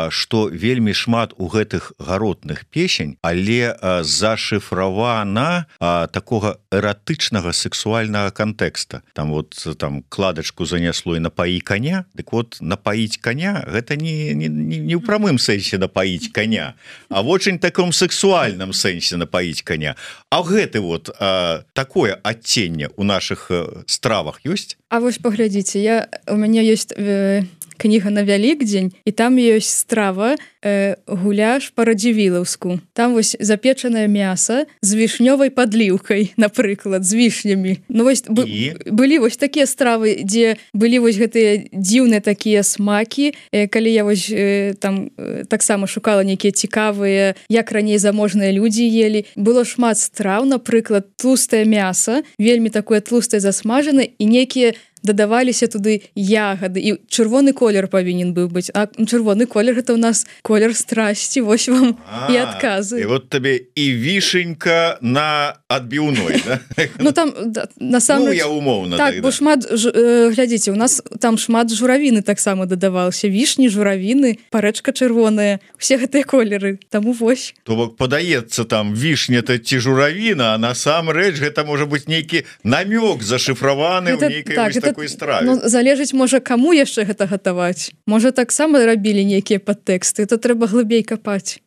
што вельмі шмат у гэтых гаротных песень, але зашыфравана такога эратычнага сексуальнага кантэкста. Там вот там кладачку занесло і напаі коня, дык вот напаіць коня гэта не, не, не ў прамым сэнсе напаіць коня, а в очень таком сексуальным сэнсе напаіць коня. А гэты вот а, такое адценне у наших стравах ёсць? А вось паглядзіце, я у мяне ёсць э, кніга на Вялікдзень, і там ёсць страва э, гуляш па-радзівілаўску. Там вось запечанае мяса з вішнёвай падліўкай, напрыклад, з вішнямі. Ну вось б, былі вось такія стравы, дзе былі вось гэтыя дзіўныя такія смакі, э, калі я вось э, там э, таксама шукала нейкія цікавыя, як раней заможныя людзі елі. Было шмат страў, напрыклад, тлустае мяса, вельмі такое тлустае засмажанае, і нейкія дадаваліся туды ягады, і чырвоны колер павінен быў быць. А чырвоны колер гэта ў нас колер страсці, вось вам а, і адказы. І вот табе і вішенька на адбіўной, да? Ну там насамрэч... Ну, я умоўна. Так, так бо да. шмат, э, глядзіце, у нас там шмат журавіны таксама дадавалася. Вішні, журавіны, парэчка чырвоная, усе гэтыя колеры. Таму вось. То бок падаецца там вішня-то ці журавіна, а насамрэч гэта можа быць нейкі намёк зашыфраваны ў нейкай так, вось такой страве. Ну, залежыць, можа, каму яшчэ гэта гатаваць. Можа, таксама рабілі нейкія падтэксты, то трэба глыбей капаць.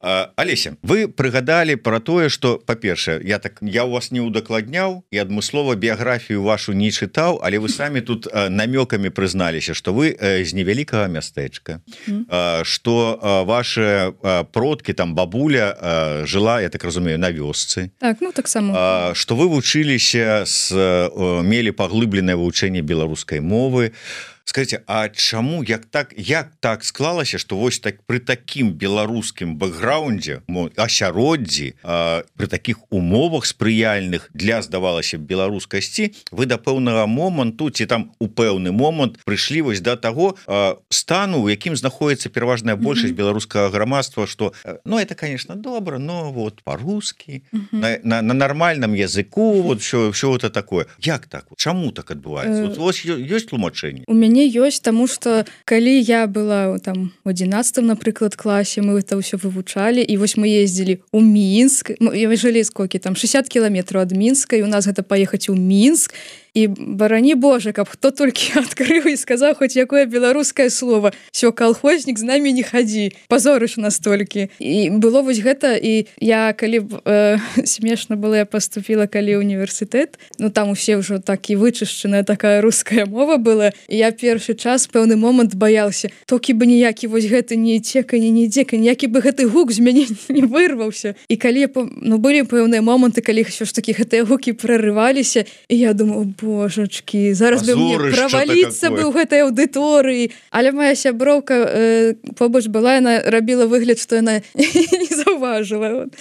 Алеся, вы прыгадалі пра тое, што, па-першае, я так я у вас не ўдакладняў і адмыслова біяграфію вашу не чытаў, але вы самі тут намёкамі прызналіся, што вы з невялікага мястэчка, што mm. ваши продкі, там бабуля жыла, я так разумею, на вёсцы. Так, ну таксама. Што вы вучыліся, з, мелі паглыбленае вывучэнне беларускай мовы. Скажите, а чаму як так як так склалася, што вось так пры такім беларускім бэкграундзе, асяроддзі, пры такіх умовах спрыяльных для, здавалася, беларускасці, вы да пэўнага моманту ці там у пэўны момант прыйшлі вось да таго стану, у якім знаходіцца пераважная большасць mm-hmm. беларускага грамадства, што ну это, конечно, добра, но вот по-русски, mm-hmm. на, на, на нармальным языку, вот все, все это такое. Як так? Чаму так адбываецца? Uh... Вот, вот ёсць тлумачэнне? У мяне ёсць, таму што калі я была там у адзінаццатым, напрыклад, класе, мы это ўсё вывучалі, і вось мы ездзілі ў Мінск, мы жылі сколькі там шэсцьдзесят кіламетраў ад Мінска, і у нас гэта паехаць у Мінск, і барані Божа, каб хто толькі адкрыў і сказаў хоць якое беларускае слово, всё, калхознік, з намі не хадзі, пазорыш настолькі. І было вось гэта, і я калі э, смешна было, я паступіла калі універсітэт, ну там усе ўжо так і вычышчаная такая руская мова была, і я першы час пэўны момант баяўся, толькі бы ніякі вось гэты не цека, не нідзека, ніякі бы гэты гук з мяне не вырваўся. І калі ну былі пэўныя моманты, калі ўсё ж такі гэтыя гукі прарываліся, і я думаю, божачкі, зараз бы мне праваліцца бы ў гэтай аўдыторыі. Але моя сяброўка э, побач была, яна рабіла выгляд, што яна не заўважыла.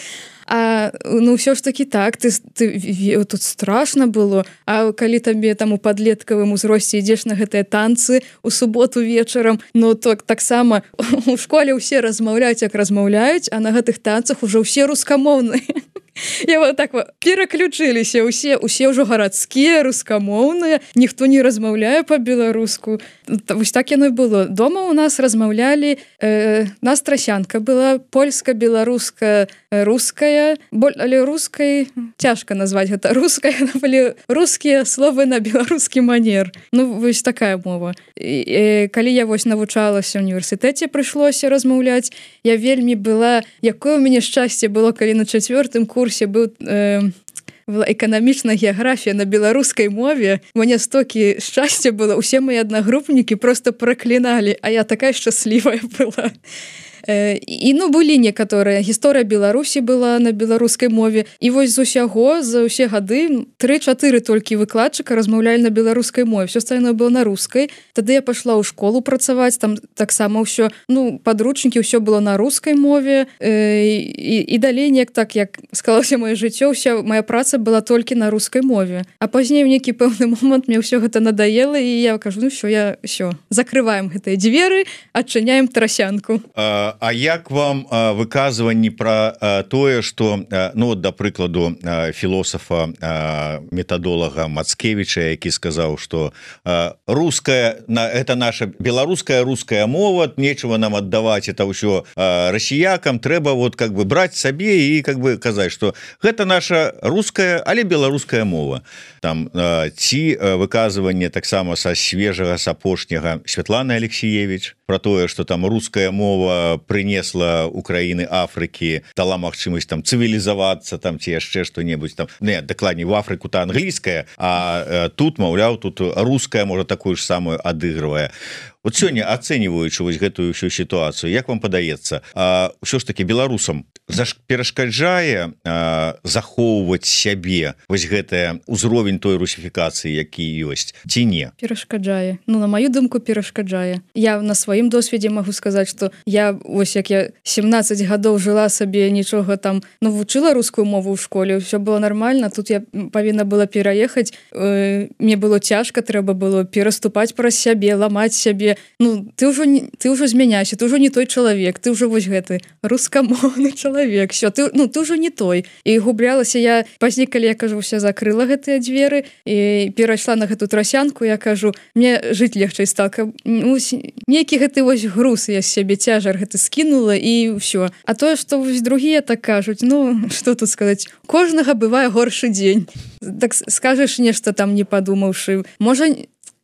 А ну ўсё ж такі так, ты, ты тут страшна было, а калі табе там у падлеткавым узросце ідзеш на гэтыя танцы у суботу вечарам, ну то таксама у школе ўсе размаўляюць, як размаўляюць, а на гэтых танцах ужо ўсе рускамоўныя. Я вот так вот пераключыліся, усе усе ўжо гарадскія, рускамоўныя, ніхто не размаўляе па-беларуску. Вось так яно і было. Дома у нас размаўлялі, э, нас трасянка была, польска-беларуска, руская, але рускай цяжка назваць гэта руская, былі рускія словы на беларускі манер. Ну, вось такая мова. І, і, калі я вось навучалася ў універсітэце, прыйшлося размаўляць, я вельмі была, якое ў мяне шчасце было, калі на чацвёртым курсе быў э, эканамічная геаграфія на беларускай мове. Мне стокі шчасця было, усе мои аднагрупнікі просто пракліналі, а я такая шчаслівая была. І ну былі некаторыя, гісторыя Беларусі была на беларускай мове, і вось з усяго за ўсе гады тры-чатыры толькі выкладчыка размаўлялі на беларускай мове, все остальное было на рускай. Тады я пайшла ў школу працаваць, там таксама ўсё, ну падручнікі, ўсё было на рускай мове, і, і далей неяк так, як склалася маё жыццё, ўся моя праца была толькі на рускай мове. А пазней у нейкі пэўны момант мне ўсё гэта надоело, і я кажу, ну все, я все закрываем гэтыя дзверы, адчыняем трасянку. А А, а як вам а, выказванні про а, тое что а, ну да прыкладу а, філосафа а, метадолага Мацкевича, які сказаў что а, русская на это наша беларуская руская мова, нечего нам аддаваць это ўсё расіякам, трэба вот как бы браць сабе і как бы казаць что гэта наша руская але беларуская мова. Там а, ці выказванне таксама са свежага с апошняга Святланы Алексеевич про тое что там руская мова принесла Украины Афрыкі, дала магчымасць там цывілізавацца там ці яшчэ что-небудзь там не дакладней в Афрыку то англійская, а э, тут маўляў тут руская можа такую ж самую адыгрывае. Вот сёння ацэньваючы вось гэтую ўсю сітуацыю, як вам падаецца, ўсё ж таки беларусам перашкаджае а, захоўваць сябе вось гэтая ўзровень той русіфікацыі, які ёсць ці не? Перашкаджае. Ну на маю думку перашкаджае. Я на сваім досведзе магу сказаць, што я вось як я семнаццаць гадоў жыла сабе, нічога там ну вучыла рускую мову ў школе, ўсё было нормально, тут я павінна была пераехаць, э, мне было цяжка, трэба было пераступаць праз сябе, ламаць сябе. Ну ты ўжо ты ўжо змяняйся, ты ўжо не той чалавек, ты ўжо вось гэты рускамоўны чалавек, все ты ну ты ўжо не той. І гублялася я пазней, калі я кажу вся закрыла гэтыя дзверы і перайшла на гэту трасянку, я кажу мне жыць легчэй стала, ну, нейкі гэты вось груз я з сябе цяжар гэты скінула і ўсё. А тое што вось другія так кажуць, ну што тут сказаць, кожнага бывае горшы дзень. Так скажаш нешта там не падумаўшы, можа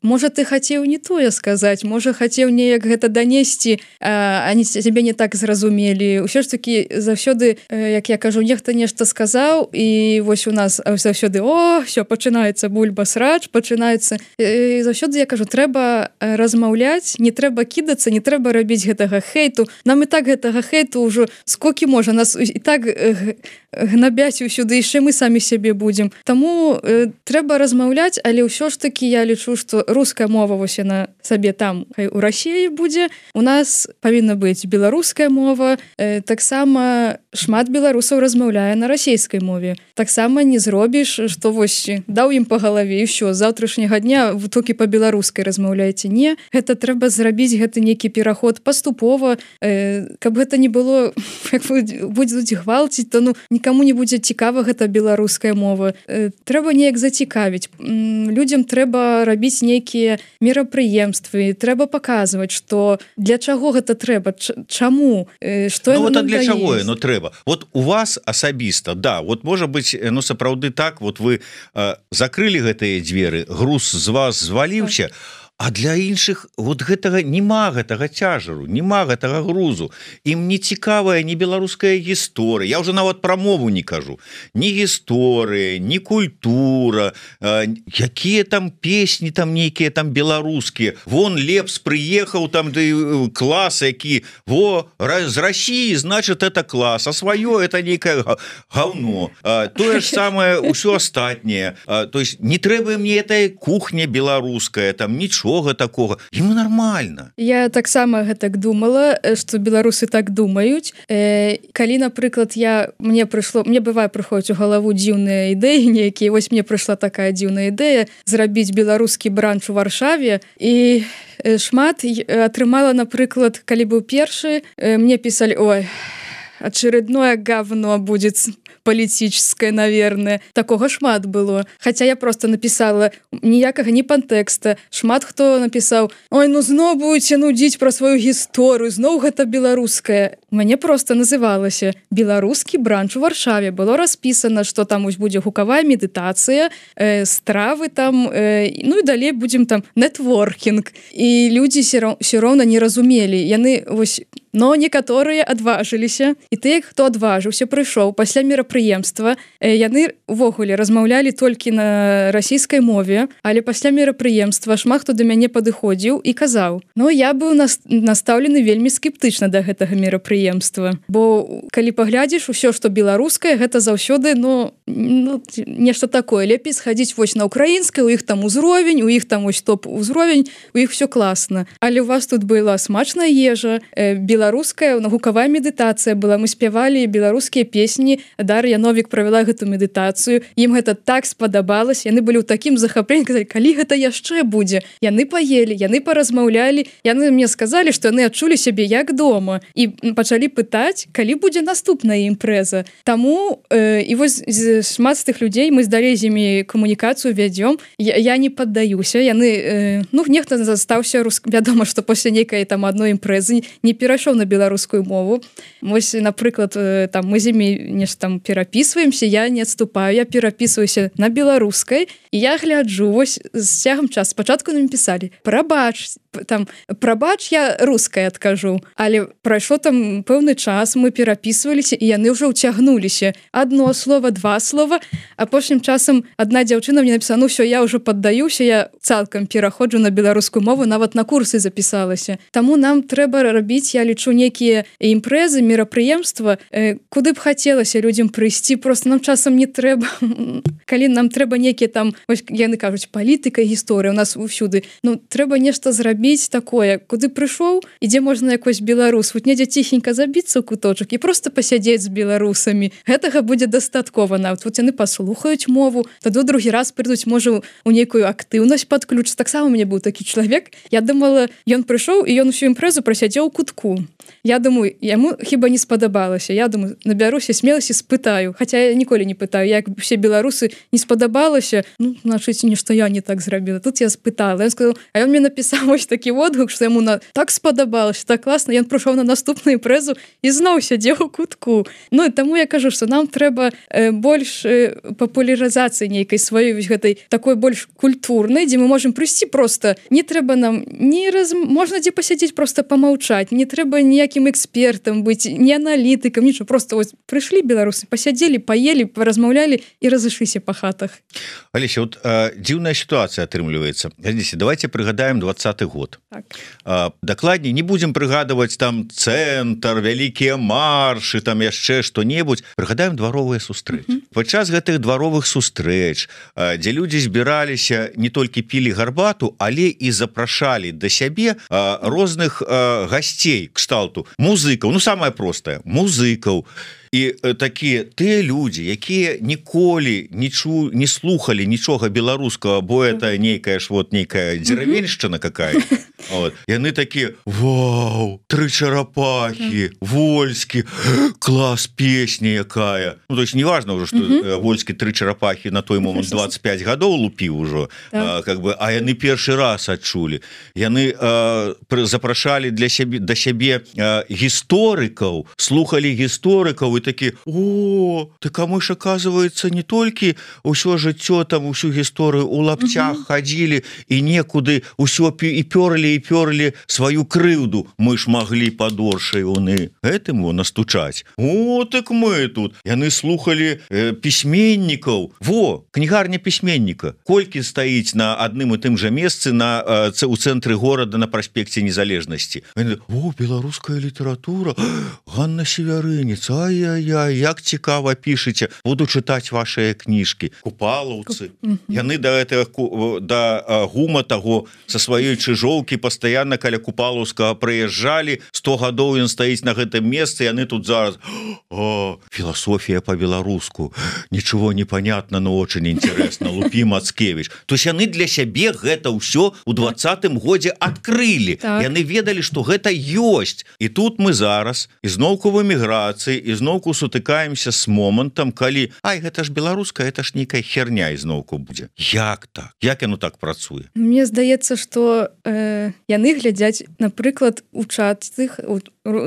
Можа ты хацеў не тое сказаць, можа хацеў неяк гэта данесці, а они цябе не так зразумелі. Усё ж таки заўсёды, як я кажу, нехта нешта сказаў і вось у нас заўсёды о, все пачынаецца бульба-срач, пачынаецца. Заўсёды я кажу, трэба размаўляць, не трэба кідацца, не трэба рабіць гэтага хейту. Нам і так гэтага хейту ўжо сколькі можа, нас і так гнабяць усюды, яшчэ мы самі сябе будзем. Таму э, трэба размаўляць, але ўсё ж таки я лічу, што руская мова вось яна сабе там хай у Расіі будзе. У нас павінна быць беларуская мова. Э, таксама шмат беларусаў размаўляе на расійскай мове. Таксама не зробіш, што вось даў ім па галаве і ўсё, з заўтрашняга дня вы толькі па-беларускай размаўляеце. Не, гэта трэба зрабіць гэты нейкі пераход паступова, э, каб гэта не было як будуць гвалціць, то ну нікому не будзе цікава гэта беларуская мова. Э, трэба неяк зацікавіць. М, людзям трэба рабіць нейкія мерапрыемствы, трэба паказваць, што для чаго гэта трэба, чаму, што ну, вот, для чаго ну трэба. Вот у вас асабіста, да, вот можа быць, ну сапраўды так, вот вы э, закрылі гэтыя дзверы, груз з вас зваліўся, а для іншых вот гэтага нема гэтага цяжару, нема гэтага грузу. Ім не цікавая ні беларуская гісторыя. Я ўжо нават пра мову не кажу. Ні гісторыя, ні культура, э, якія там песні там нейкія там беларускія. Вон Лепс прыехаў там да клас, які во з Расіі, значит это клас, а сваё это нейкае гаўно. Э, тое ж самае ўсё астатняе. Э, то есть не трэба мне этой кухня беларуская, там нічога такого, ему нормально. Я таксама гэтак думала, што беларусы так думаюць. Э, калі, напрыклад, я мне прыйшло, мне бывае прыходзіць у галаву дзіўныя ідэі нейкія, вось мне прыйшла такая дзіўная ідэя зрабіць беларускі бранч у Варшаве і шмат атрымала, напрыклад, калі быў першы, мне пісалі: ой, очередное говно будет политическое, наверное. Такого шмат было. Хотя я просто написала ніякага ні пантэкста. Шмат хто напісаў: ой, ну зноў будете нудзіць пра сваю гісторыю, зноў гэта беларускае. У мяне просто называлася беларускі бранч у Варшаве. Было распісана, што там ось будзе гукавая медытацыя, э, стравы там, э, ну і далей будзем там нетворкінг. І людзі все роўна не разумелі. Яны вось, но некаторыя адважыліся, і тыя, хто адважыўся, прыйшоў пасля мерапрыемства, яны увогуле размаўлялі толькі на расійскай мове, але пасля мерапрыемства шмат хто да мяне падыходзіў і казаў: ну я быў настаўлены вельмі скептычна да гэтага мерапрыемства, бо калі паглядзіш, усё што беларускае, гэта заўсёды ну, ну нешта такое, лепей схадзіць вось на украінскай, у іх там узровень, у іх там ось топ узровень, у іх все класна, але у вас тут была смачная ежа, беларуская беларуская гукавая медытацыя была, мы спявалі беларускія песні, Дар'я Новік правяла гэту медытацыю, ім гэта так спадабалось, яны былі ў такім захапленні, казалі, калі гэта яшчэ будзе. Яны паелі, яны паразмаўлялі, яны мне сказалі, што яны адчулі сябе як дома і пачалі пытаць, калі будзе наступная імпрэза. Таму э, і вось шмат з тых людзей мы здалей з імі камунікацыю вядзём. Я, я не паддаюся, яны э, ну нехта застаўся рус... вядома, што пасля нейкай там адной імпрэзы не перайшоў на беларускую мову. Вось, напрыклад, там мы з імі нешта там перапісваемся, я не адступаю, я перапісваюся на беларускай, і я гляджу, вось з цягам часу спачатку нам пісалі: прабач, там прабач, я рускай адкажу, але прайшло там пэўны час, мы перапісваліся, і яны ўжо ўцягнуліся. Адно слова, два слова, апошнім часам адна дзяўчына мне напісала: ну все, я ўжо паддаюся, я цалкам пераходжу на беларускую мову, нават на курсы запісалася. Таму нам трэба рабіць, я лічу, нейкія імпрэзы, мерапрыемства, э, куды б хацелася людзям прыйсці, просто нам часам не трэба, калі нам трэба нейкія там, ось яны кажуць, палітыка, гісторыя у нас ўсюды, ну трэба нешта зрабіць такое, куды прыйшоў, і дзе можна якось беларус, вот недзе ціхенька забіцца ў куточак і просто пасядзець з беларусамі. Гэтага будзе дастаткова нават. Вот яны паслухаюць мову, тады другі раз прыйдуць, можа, у нейкую актыўнасць падключыць. Таксама у мяне быў такі чалавек, я думала, ён прыйшоў і ён усю імпрэзу прасядзеў у кутку. Я думаю, яму хіба не спадабалася. Я думаю, набяруся смеласці, спытаю. Хаця я ніколі не пытаю, як усе беларусы не спадабалася, ну, значыць, нешта я не так зрабіла. Тут я спытала. Ён сказаў, а ён мне напісаў вось такі водгук, што яму на... так спадабалася, так класна. Ён прыйшоў на наступную імпрэзу і зноў сядзеў у кутку. Ну, і таму я кажу, што нам трэба э, больш э, папулярызацыі нейкай сваёй гэтай такой больш культурнай, дзе мы можам прыйсці просто. Не трэба нам не раз... можна дзе пасядзець, просто памаўчаць. Не трэба ніякім экспертам быць, не аналітыкам, нічого. Просто ось прыйшлі беларусы, пасядзелі, паелі, размаўлялі і разышліся па хатах. Алеся, вот э, дзіўная сітуацыя атрымліваецца. Глядзіце, давайте прыгадаем двадцаты год. Так. Э, дакладней, не будзем прыгадваць там цэнтр, вялікія маршы, там яшчэ што-небудзь. Прыгадаем дваровыя сустрэчы. Mm -hmm. Падчас гэтых дваровых сустрэч, э, дзе людзі збіраліся, не толькі пілі гарбату, але і запрашалі да сябе э, розных э, гасцей кшталту музыкаў, ну самае простае, музыкаў. І э, такія тыя людзі, якія ніколі не чу, не слухалі нічога беларускага, бо это нейкая ж вот нейкая дзеравеншчына какая. Вот. Яны такія: вау, тры чарапахі, Вольскі, клас, песня якая. Ну, то есть неважно уже, что uh-huh. Вольскі тры чарапахі на той момант двадцать пять гадоў лупіў ужо, а, как бы, а яны першы раз адчулі. Яны а, запрашалі для сябе, да сябе а, гісторыкаў, слухалі гісторыкаў, и такі: о, так а мы ж, оказывается, не толькі ўсё жыццё там, усю гісторыю у лапцях uh-huh. хадзілі і некуды ўсё і пёрлі і пёрлі сваю крыўду, мы ж маглі падоршай уны гэтым настучаць. О, так мы тут. Яны слухалі э, пісьменнікаў. Во, кнігарня пісьменніка. Колькі стаіць на адным і тым жа месцы на э, у цэнтры горада на праспекце Незалежнасці. О, беларуская літаратура, Ганна Севярынец, ай-яй-яй, як цікава пішыце, буду чытаць вашыя кніжкі. Купалаўцы. Яны да гэтага да гума таго са сваёй чыжоўкі пастаянна каля Купалаўскага прыязджалі, сто гадоў ён стаіць на гэтым месцы, яны тут зараз: о, філасофія по-беларуску, ничего не понятно, но очень интересно, Лупі Мацкевич. То есть яны для сябе гэта ўсё у двадцатым годзе адкрылі. Так. Яны ведалі, што гэта ёсць. І тут мы зараз ізноўку в эміграцыі, ізноўку сутыкаемся с момантам, калі ай, гэта ж беларуская, это ж нейкая херня ізноўку будзе. Як так? Як яно так працуе? Мне здаецца, што э, яны глядзяць, напрыклад, у чатах, у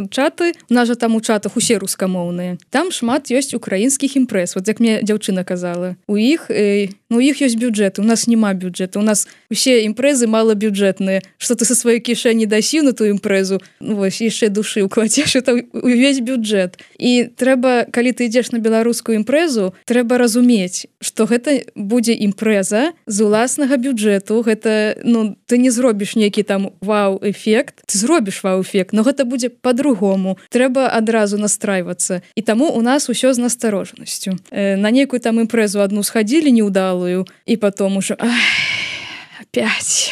чаты, у нас жа там у чатах усе рускамоўныя. Там шмат ёсць украінскіх імпрэз. Вот як мне дзяўчына казала. У іх, э, ну, у іх ёсць бюджэт, у нас няма бюджэта. У нас усе імпрэзы малабюджэтныя. Што ты са сваёй кішэні дасі на ту імпрэзу, ну, вось, яшчэ душы укладзеш, это увесь бюджэт. І трэба, калі ты ідзеш на беларускую імпрэзу, трэба разумець, што гэта будзе імпрэза з уласнага бюджэту. Гэта, ну, ты не зробіш нейкі там вау-эфект, ты зробіш вау-эфект, но гэта будзе по-другому. Трэба адразу настрайвацца. І таму у нас усё з насторожанасцю. Э, на нейкую там імпрэзу адну схадзілі неўдалую, і потом ужо ах, опять...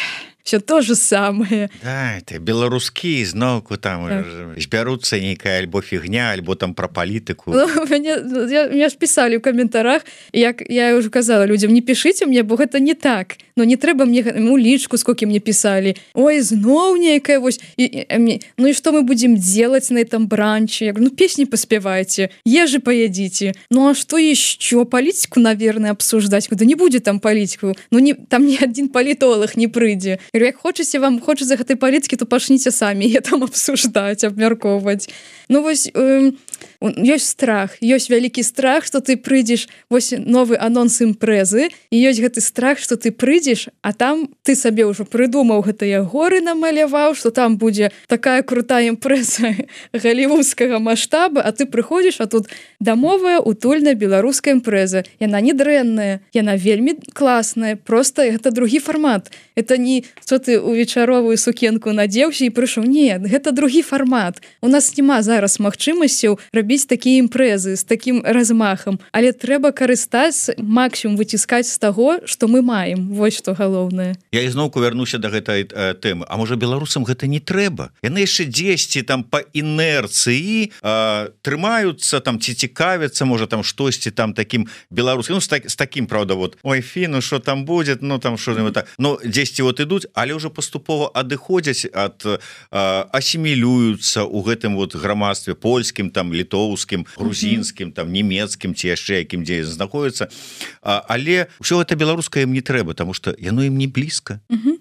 все то же самое. Да, это беларускі зноўку там так. збяруцца нейкая альбо фігня, альбо там пра палітыку. Ну, мне, я, мне ж пісалі ў каментарах, як я уже казала людям, не пішыце мне, бо гэта не так. Но не трэба мне ну, лічку, сколько мне пісалі. Ой, зноў нейкая вось. І, і, і, ну і што мы будем делать на этом бранче? Я говорю, ну песни поспевайте, ежи поедите. Ну а что еще? Политику, наверное, обсуждать. Да не будет там политику. Ну не, там ни один политолог не прыйдзе. Я говорю, як хочаце вам, хочаце гэтай палітыкі, то пачніце самі я там обсуждать, абмяркоўваць. Ну вось э, ёсць страх, ёсць вялікі страх, што ты прыйдзеш, вось новы анонс імпрэзы, і ёсць гэты страх, што ты прыйдзеш, а там ты сабе ўжо прыдумаў гэтыя горы намаляваў, што там будзе такая крутая імпрэза галівудскага маштаба, а ты прыходзіш, а тут дамовая утульная беларуская імпрэза. Яна не дрэнная, яна вельмі класная, просто гэта другі фармат. Это не што ты у вечаровую сукенку надзеўся і прыйшоў. Не, гэта другі фармат. У нас няма зараз магчымасцяў рабіць такія імпрэзы з такім размахам, але трэба карыстаць, максімум выціскаць з таго, што мы маем. Вось што галоўнае. Я ізноўку вярнуся да гэтай э, тэмы. А можа беларусам гэта не трэба? Яны яшчэ дзесьці там па інерцыі э, трымаюцца там ці цікавяцца, можа там штосьці там такім беларускім, ну з, так, з такім, правда, вот ой, фі, ну што там будзе, ну там што так. Ну дзесьці вот ідуць, але ўжо паступова адыходзяць ад э, асімілююцца ў гэтым вот грамадстве польскім, там літоўскім, грузінскім, там нямецкім ці яшчэ якім дзе знаходзіцца. А, але ўсё гэта беларускае ім не трэба, таму што яно ім не блізка.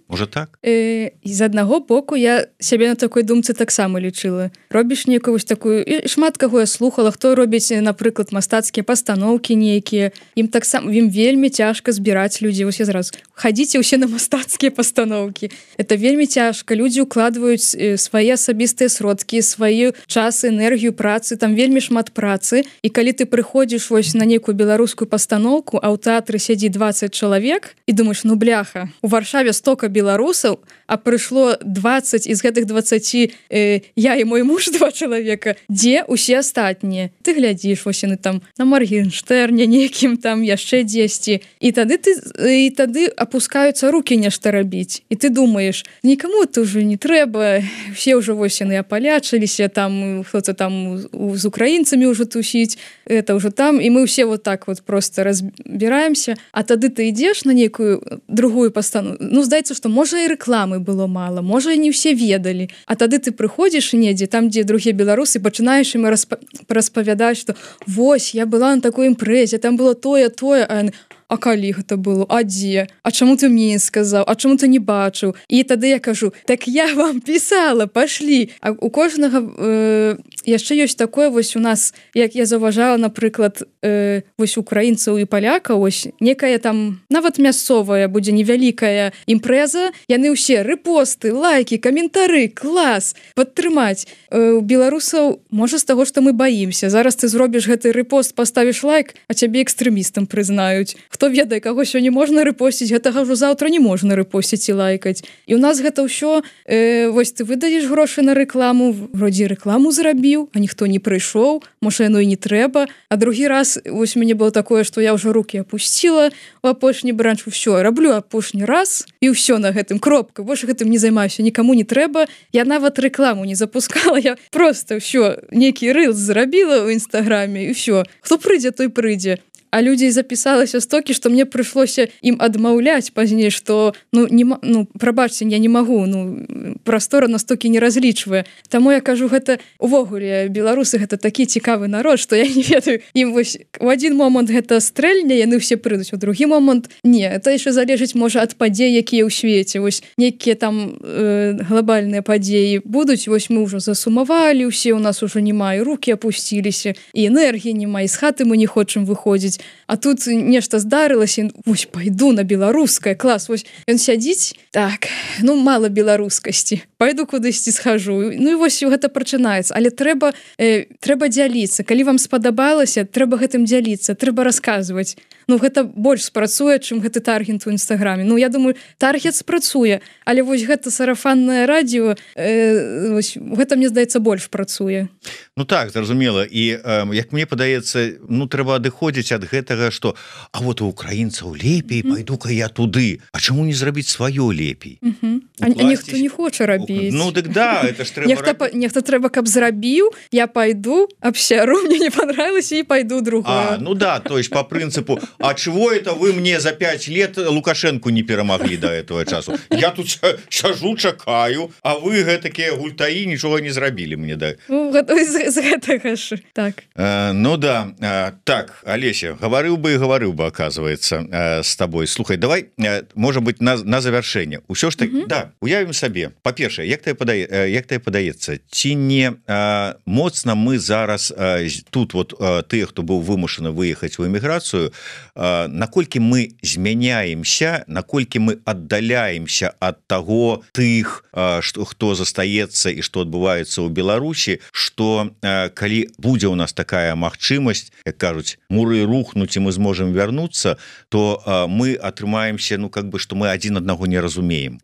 Можа так? Э, з аднаго боку я сябе на такой думцы таксама лічыла. Робіш нейкую вось такую, і шмат каго я слухала, хто робіць, напрыклад, мастацкія пастаноўкі нейкія. Ім таксама ім вельмі цяжка збіраць людзей. Вось я зразу хадзіце ўсе на мастацкія пастаноўкі. Это вельмі цяжка. Людзі ўкладваюць свае асабістыя сродкі, сваю час, энергію працы, там вельмі шмат працы. І калі ты прыходзіш вось на нейкую беларускую пастаноўку, а ў тэатры сядзі дваццаць чалавек і думаеш, ну бляха, у Варшаве стока беларусаў, а прыйшло дваццаць, і з гэтых дваццаці э, я і мой муж два чалавека. Дзе усе астатнія? Ты глядзіш, вось яны там на Маргенштерне нейкім там яшчэ дзесьці. І тады ты і тады апускаюцца рукі нешта рабіць. І ты думаеш, нікаму это ўжо не трэба, все ўжо вось яны апалячыліся, там хто-то там з украінцамі ўжо тусіць, это ўжо там, і мы ўсе вот так вот просто разбіраемся. А тады ты ідзеш на нейкую другую пастану. Ну, здаецца, што можа і рэкламы было мала, можа і не ўсе ведалі. А тады ты прыходзіш недзе, там, дзе другія беларусы, пачынаеш ім распа... распавядаць, што вось, я была на такой імпрэзе, там было тое, тое, а яны... А калі гэта было? А дзе? А чаму ты мне не сказаў? А чаму ты не бачыў? І тады я кажу, так я вам пісала, пашлі. А у кожнага э, яшчэ ёсць такое, вось у нас, як я заўважала, напрыклад, э, вось украінцаў і паляка, вось некая там, нават мясцовая будзе невялікая імпрэза, яны ўсе рэпосты, лайкі, каментары, клас, падтрымаць. Э, у беларусаў, можа, з таго, што мы баімся. Зараз ты зробіш гэты рэпост, паставіш лайк, а цябе экстрэмістам прызнаюць. Хто ведае, каго сёння можна рэпосціць, гэтага ўжо заўтра не можна рэпосціць і лайкаць. І ў нас гэта ўсё, э, вось ты выдаеш грошы на рэкламу, вроде рэкламу зрабіў, а ніхто не прыйшоў, можа, яно і не трэба. А другі раз, вось мяне было такое, што я ўжо рукі апусціла у апошні бранч, ўсё, раблю апошні раз, і ўсё на гэтым, кропка, больш гэтым не займаюся, нікаму не трэба. Я нават рэкламу не запускала, я просто ўсё, нейкі рылс зрабіла ў інстаграме, і ўсё. Хто прыйдзе, той прыйдзе. А людзей запісалася стокі, што мне прыйшлося ім адмаўляць пазней, што ну, не, ну прабачце, я не магу, ну прастора настолькі не разлічвае. Таму я кажу, гэта увогуле беларусы гэта такі цікавы народ, што я не ведаю. Ім вось у адзін момант гэта стрэльня, яны ўсе прыйдуць, у другі момант не, это яшчэ залежыць можа ад падзей, якія ў свеце. Вось нейкія там э, глобальныя падзеі будуць, вось мы ўжо засумавалі, усе у нас ужо няма, і рукі апусціліся, і энергіі няма, і з хаты мы не хочам выходзіць. А тут нешта здарылася, вось пайду на беларускае, клас, вось ён сядзіць, так, ну мала беларускасці, пайду кудысьці схожу. Ну і вось гэта прачынаецца, але трэба э, трэба дзяліцца. Калі вам спадабалася, трэба гэтым дзяліцца, трэба расказваць. Ну гэта больш спрацуе, чым гэты таргет у інстаграме. Ну я думаю, таргет спрацуе, але вось гэта сарафаннае радіо, э, вось, гэта мне здаецца больш працуе. Ну так, зразумела. І э, як мне падаецца, ну трэба адыходзіць ад гэтага что а вот у украінцаў лепей mm -hmm. пойду-ка я туды А чаму не зрабіць сваё лепей mm -hmm. а, а ніхто не хоча рабіць ну дык да это ж трэба нехта, раб... нехта трэба каб зрабіў я пойду абсяру мне не понравилось і пойду другое ну да то есть по прынцыпу А чего это вы мне за пять лет Лукашенко не перамаглі до этого часу я тут сажу чакаю а вы гэтакія гультаі нічога не зрабілі мне да ну, з, з гэтага ж так а, ну да а, так Олеся гаварыў бы і гаварыў бы оказывается а, с тобой слухай давай а, может быть на, на завершэнне ўсё ж так mm -hmm. да уявім сабе па-першае як ты падае як ты падаецца ці не а, моцна мы зараз а, тут вот а, тыя хто быў вымушаны выехаць у эміграцыю наколькі мы змяняемся наколькі мы аддаляемся ад таго тых что хто застаецца і што адбываецца ў Беларусі что калі будзе у нас такая магчымасць як кажуць муры рухнуць і мы зможам вярнуцца то мы атрымаемся ну как бы что мы адзін аднаго не разумеем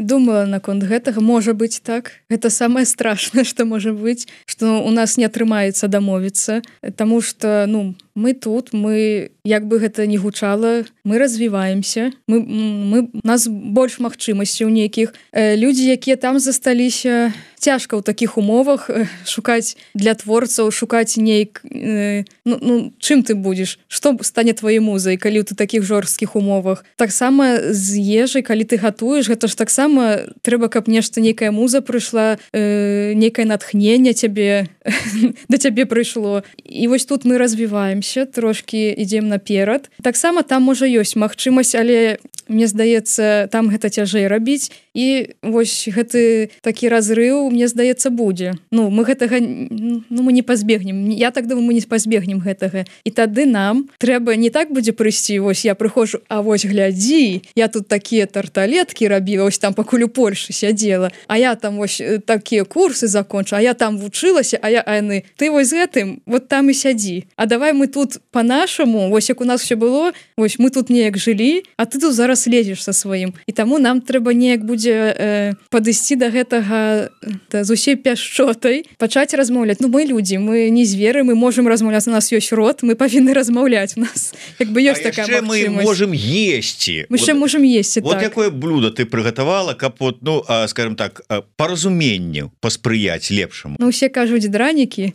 думала наконт гэтага можа быць так гэта самое страшное что можа быць что у нас не атрымаецца дамовіцца тому что ну мы тут мы як бы гэта не гучала мы развіваемся мы мы нас больш магчымасцяў нейкіх людзі якія там засталіся цяжка ў такіх умовах шукаць для творцаў шукаць нейк ну, ну чым ты будзеш што стане твоей музай калі ты такіх жорсткіх умовах таксама з ежай калі ты гатуеш гэта ж таксама трэба каб нешта нейкая муза прыйшла э, нейкае натхненне цябе да цябе прыйшло і вось тут мы развіваемся трошки ідзем наперад таксама там можа ёсць магчымасць але мне здаецца там гэта цяжэй рабіць і вось гэты такі разрыў мне здаецца будзе ну мы гэтага ну мы не пазбегнем я так думаю мы не пазбегнем гэтага і тады нам трэба не так будзе прыйсці вось я прыходжу а вось глядзі я тут такія тарталеткі рабіла ось там пакуль у Польшы сядзела а я там вось такія курсы закончу а я там вучылася а я айны ты вось з гэтым вот там і сядзі а давай мы тут по-нашаму вось як у нас все было вось мы тут неяк жылі а ты тут зараз лезеш са сваім і таму нам трэба неяк будзе э, падысці до гэтага да, з усей пяшчотай пачаць размаўляць ну мы людзі мы не зверы мы можем размаўляць у нас ёсць рот мы павінны размаўляць у нас як бы ёсць такая мы можем есці мы ще вот, можем есці вот так. Якое блюдо ты прыгатавала каб вот ну а, скажем так по разуменню паспрыяць лепшаму ну усе кажуць дранікі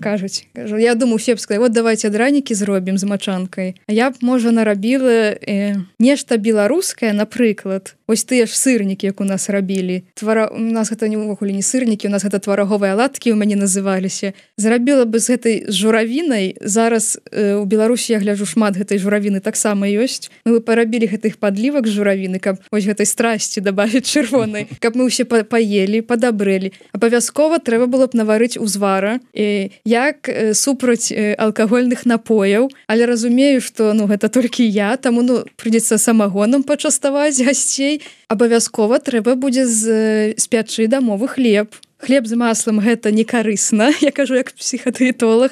кажуць кажу, я думаю все б сказали вот давайте дранікі зробім з мачанкай а я б можа нарабіла э, нешта беларускае напрыклад ось тыя ж сырнікі як у нас рабілі твара у нас гэта не ўвогуле не сырнікі у нас гэта твараговыя аладкі ў мяне называліся зрабіла бы з гэтай журавінай зараз э, у Беларусі я гляджу шмат гэтай журавіны таксама ёсць мы бы парабілі гэтых падлівак журавіны каб вось гэтай страсці дабавіць чырвонай каб мы ўсе па паелі падабрэлі абавязкова трэба было б наварыць узвара э, як э, супраць э, алкагольных напояў але разумею что ну гэта толькі я таму ну прыйдзецца самагонам пачаставаць гасцей абавязкова трэба будзе з спячы дамовы хлеб хлеб з маслом гэта не карысна я кажу як псіхатыетолог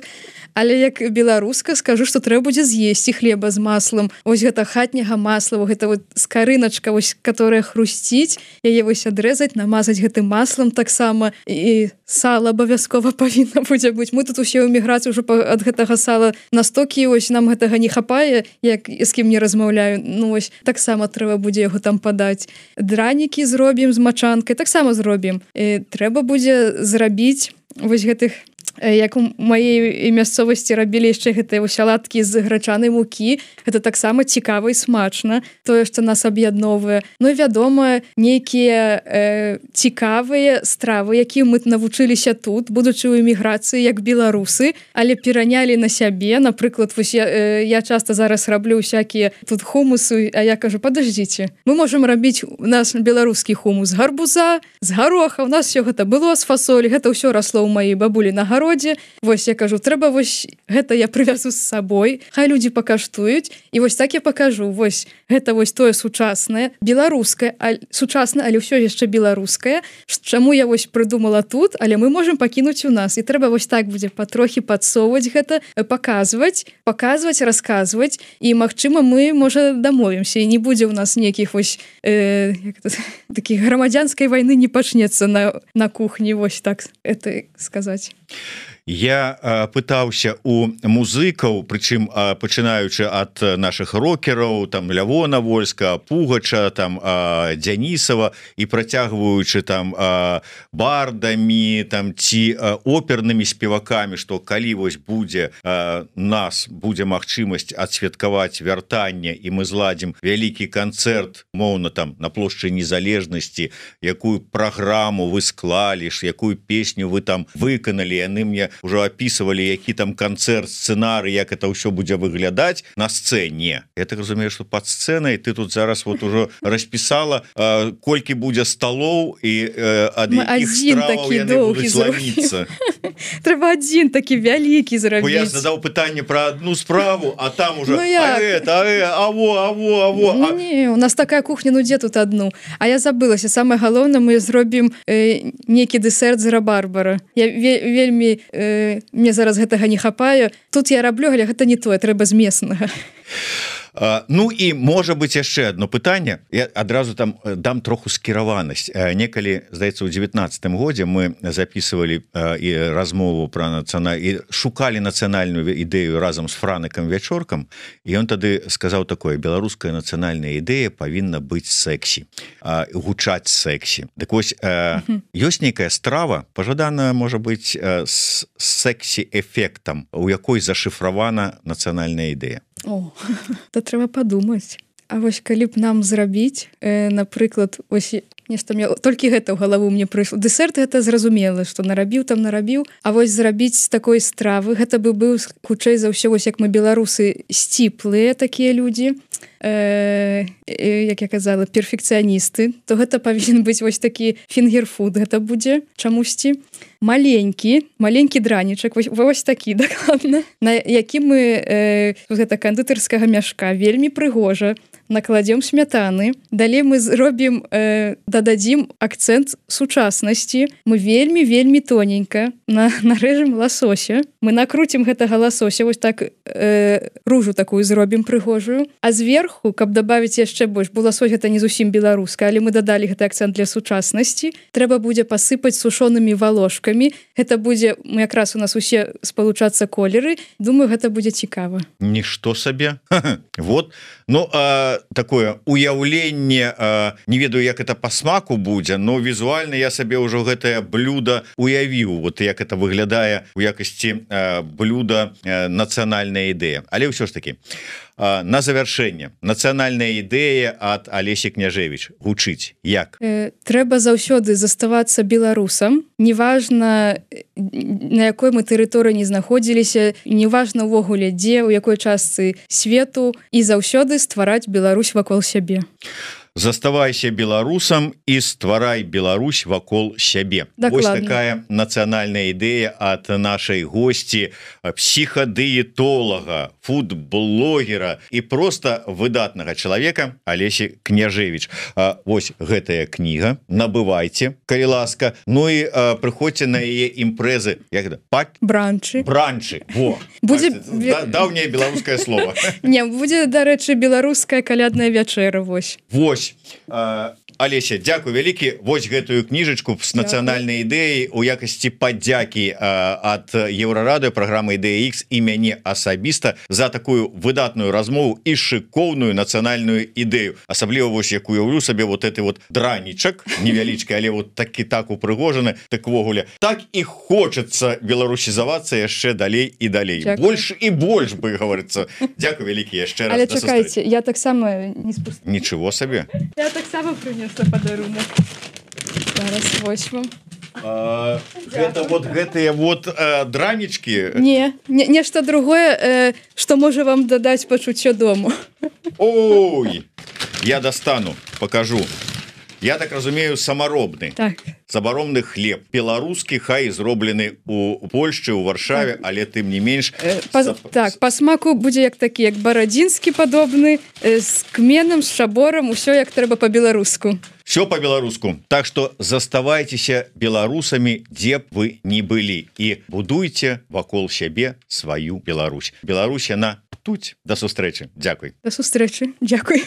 але як беларуска скажу что трэба будзе з'есці хлеба з маслом ось гэта хатняга масла гэта вот скарыначка вось которая хрусціць яе вось адрэзаць намазаць гэтым маслом таксама і сала абавязкова павінна будзе быць мы тут усе ў эміграцыі ўжо ад гэтага сала настолькі ось нам гэтага не хапае як з кім не размаўляю ну ось таксама трэба будзе яго там падаць дранікі зробім з мачанкай таксама зробім і трэба будзе зрабіць вось гэтых як у маей мясцовасці рабілі яшчэ гэтыя салаткі з грачанай мукі гэта таксама цікава і смачна тое што нас аб'ядноўвае ну вядома нейкія э, цікавыя стравы якія мы навучыліся тут будучы ў эміграцыі як беларусы але перанялі на сябе напрыклад вось я, э, я часта зараз раблю всякие тут хумусы а я кажу подождите мы можем рабіць у нас беларускі хумус гарбуза з гароха у нас все гэта было з фасолі гэта ўсё расло ў маей бабулі на гародзе вось я кажу трэба вось гэта я прывязу з сабой хай людзі пакаштуюць і вось так я покажу вось гэта вось тое сучаснае беларускае сучасна але ўсё яшчэ беларускае чаму я вось прыдумала тут але мы можем пакінуць у нас і трэба вось так будзе патрохі падсоўваць гэта паказваць паказваць расказваць і магчыма мы можа дамовімся і не будзе ў нас нейкіх вось э, такіх грамадзянскай вайны не пачнецца на, на кухні вось так это сказаць Я э, пытаўся у музыкаў, прычым э, пачынаючы ад наших рокераў, там Лявона Вольска, Пугача, там э, Дзянісава і працягваючы там э, бардамі, там ці э, опернымі спевакамі, што калі вось будзе э, нас будзе магчымасць адсвяткаваць вяртанне і мы зладзім вялікі канцэрт, моўна там на плошчы Незалежнасці, якую праграму вы склалі, якую песню вы там выканалі, яны мне уже описывали, які там концерт, сценарий, як это все будзе выглядаць на сцэне. Я так разумею, что под сценай ты тут зараз вот уже расписала, э, колькі будзе столоў і э, ад якіх страваў яны будуць славіцца. Трэба адзін такі вялікі зрабіць. Я задаў пытанне про одну справу, а там уже ну, а это, а это, аво, аво, аво. А... Не, у нас такая кухня, ну дзе тут одну? А я забылася, самое галоўнае, мы зробім э, некі дэсерт з рабарбара. Я ве вельмі э, мне зараз гэтага не хапаю. Тут я раблю, але гэта не тое, трэба змеснага. Ну і можа быть яшчэ одно пытанне. Я адразу там дам троху скіраванасць. Некалі, здаецца, у девятнадцатым годзе мы записывалі і размову про нацыянальную і шукалі нацыянальную ідэю разам з Франыкам Вячоркам, і ён тады сказаў такое: беларуская нацыянальная ідэя павінна быць сексі, гучаць сексі. Дык вось ёсць нейкая страва, пажадана можа быць з сексі-эфектам, у якой зашыфравана нацыянальная ідэя. О, то трэба падумаць. А вось калі б нам зрабіць, э, напрыклад, ось нешта мне толькі гэта ў галаву мне прыйшло. Дэсерт гэта зразумела, што нарабіў там нарабіў, а вось зрабіць такой стравы, гэта бы быў хутчэй за ўсё, вось як мы беларусы сціплыя такія людзі, э, як я казала, перфекцыяністы, то гэта павінен быць вось такі фінгерфуд, гэта будзе чамусьці. Маленькі, маленькі дранічак, вось, вось такі, дакладна, на які мы э, гэта кандытарскага мяшка, вельмі прыгожа, накладзем смятаны, далей мы зробім, э, дададзім акцэнт сучаснасці, мы вельмі-вельмі тоненька на, нарэжем ласося, мы накруцім гэтага ласося, вось так э, ружу такую зробім прыгожую, а зверху, каб дабавіць яшчэ больш, бо ласось гэта не зусім беларуска, але мы дадалі гэты акцэнт для сучаснасці, трэба будзе пасыпаць сушонымі валошкамі, гэта будзе, якраз у нас усе спалучацца колеры, думаю, гэта будзе цікава. Нішто сабе. Вот, ну, а такое уяўленне, не ведаю, як это по смаку будзе, но візуальна я сабе ўжо гэтае блюдо уявіў, вот як это выглядае у якасці блюда нацыянальная ідэя. Але ўсё ж таки на завяршэнне нацыянальная ідэя ад Алесі Княжевіч гучыць як? Э, трэба заўсёды заставацца беларусам, неважна на якой мы тэрыторыі не знаходзіліся, неважна ўвогуле дзе, у якой частцы свету, і заўсёды ствараць Беларусь вакол сябе. Заставайся беларусам і стварай Беларусь вакол сябе. Вось такая нацыянальная ідэя ад нашай госці, псіхадыетолага, фудблогера і просто выдатнага чалавека Алесі Княжевіч. Вось гэтая кніга, набывайце, калі ласка. Ну і прыходзьце на яе імпрэзы, як гэта? Пак? Бранчы. Бранчы. Во. Будзе даўняе беларускае слово. Не, будзе, дарэчы, беларуская калядная вячэра, вось. Вось. Алеся, дзякуй вялікі. Вось гэтую кніжачку з нацыянальнай ідэяй у якасці падзякі ад Еўрарадыё, праграмы Ідэя Ікс і мяне асабіста за такую выдатную размову і шыкоўную нацыянальную ідэю. Асабліва вось як уяўлю сабе вот гэты вот дранічак невялічкі, але вот такі так упрыгожаны, так ввогуле так і хочацца беларусізавацца яшчэ далей і далей. Дзякуй. Больш і больш бы говорится. Дзякуй вялікі яшчэ раз. Але чакайце, я таксама не спустила. Ничего сабе. Я таксама прынесла падарунак. Зараз вось вам. А, гэта вот гэтыя вот э, дранічкі? Не, не, нешта другое, э, што можа вам дадаць пачуццё дому. Ой, я достану, покажу. Я так разумею, самаробны. Так. Самаробны хлеб. Беларускі, хай зроблены у Польшчы, у Варшаве, але тым не менш... Э, па, Сап... Так, па смаку будзе як такі, як барадзінскі падобны, э, з кменам, з шаборам, усё як трэба па-беларуску. Все по-беларуску. Так что заставайцеся беларусамі, дзе б вы не былі, і будуйце вакол сябе сваю Беларусь. Беларусь, яна тут. До сустрэчы. Дзякуй. До сустрэчы. Дзякуй.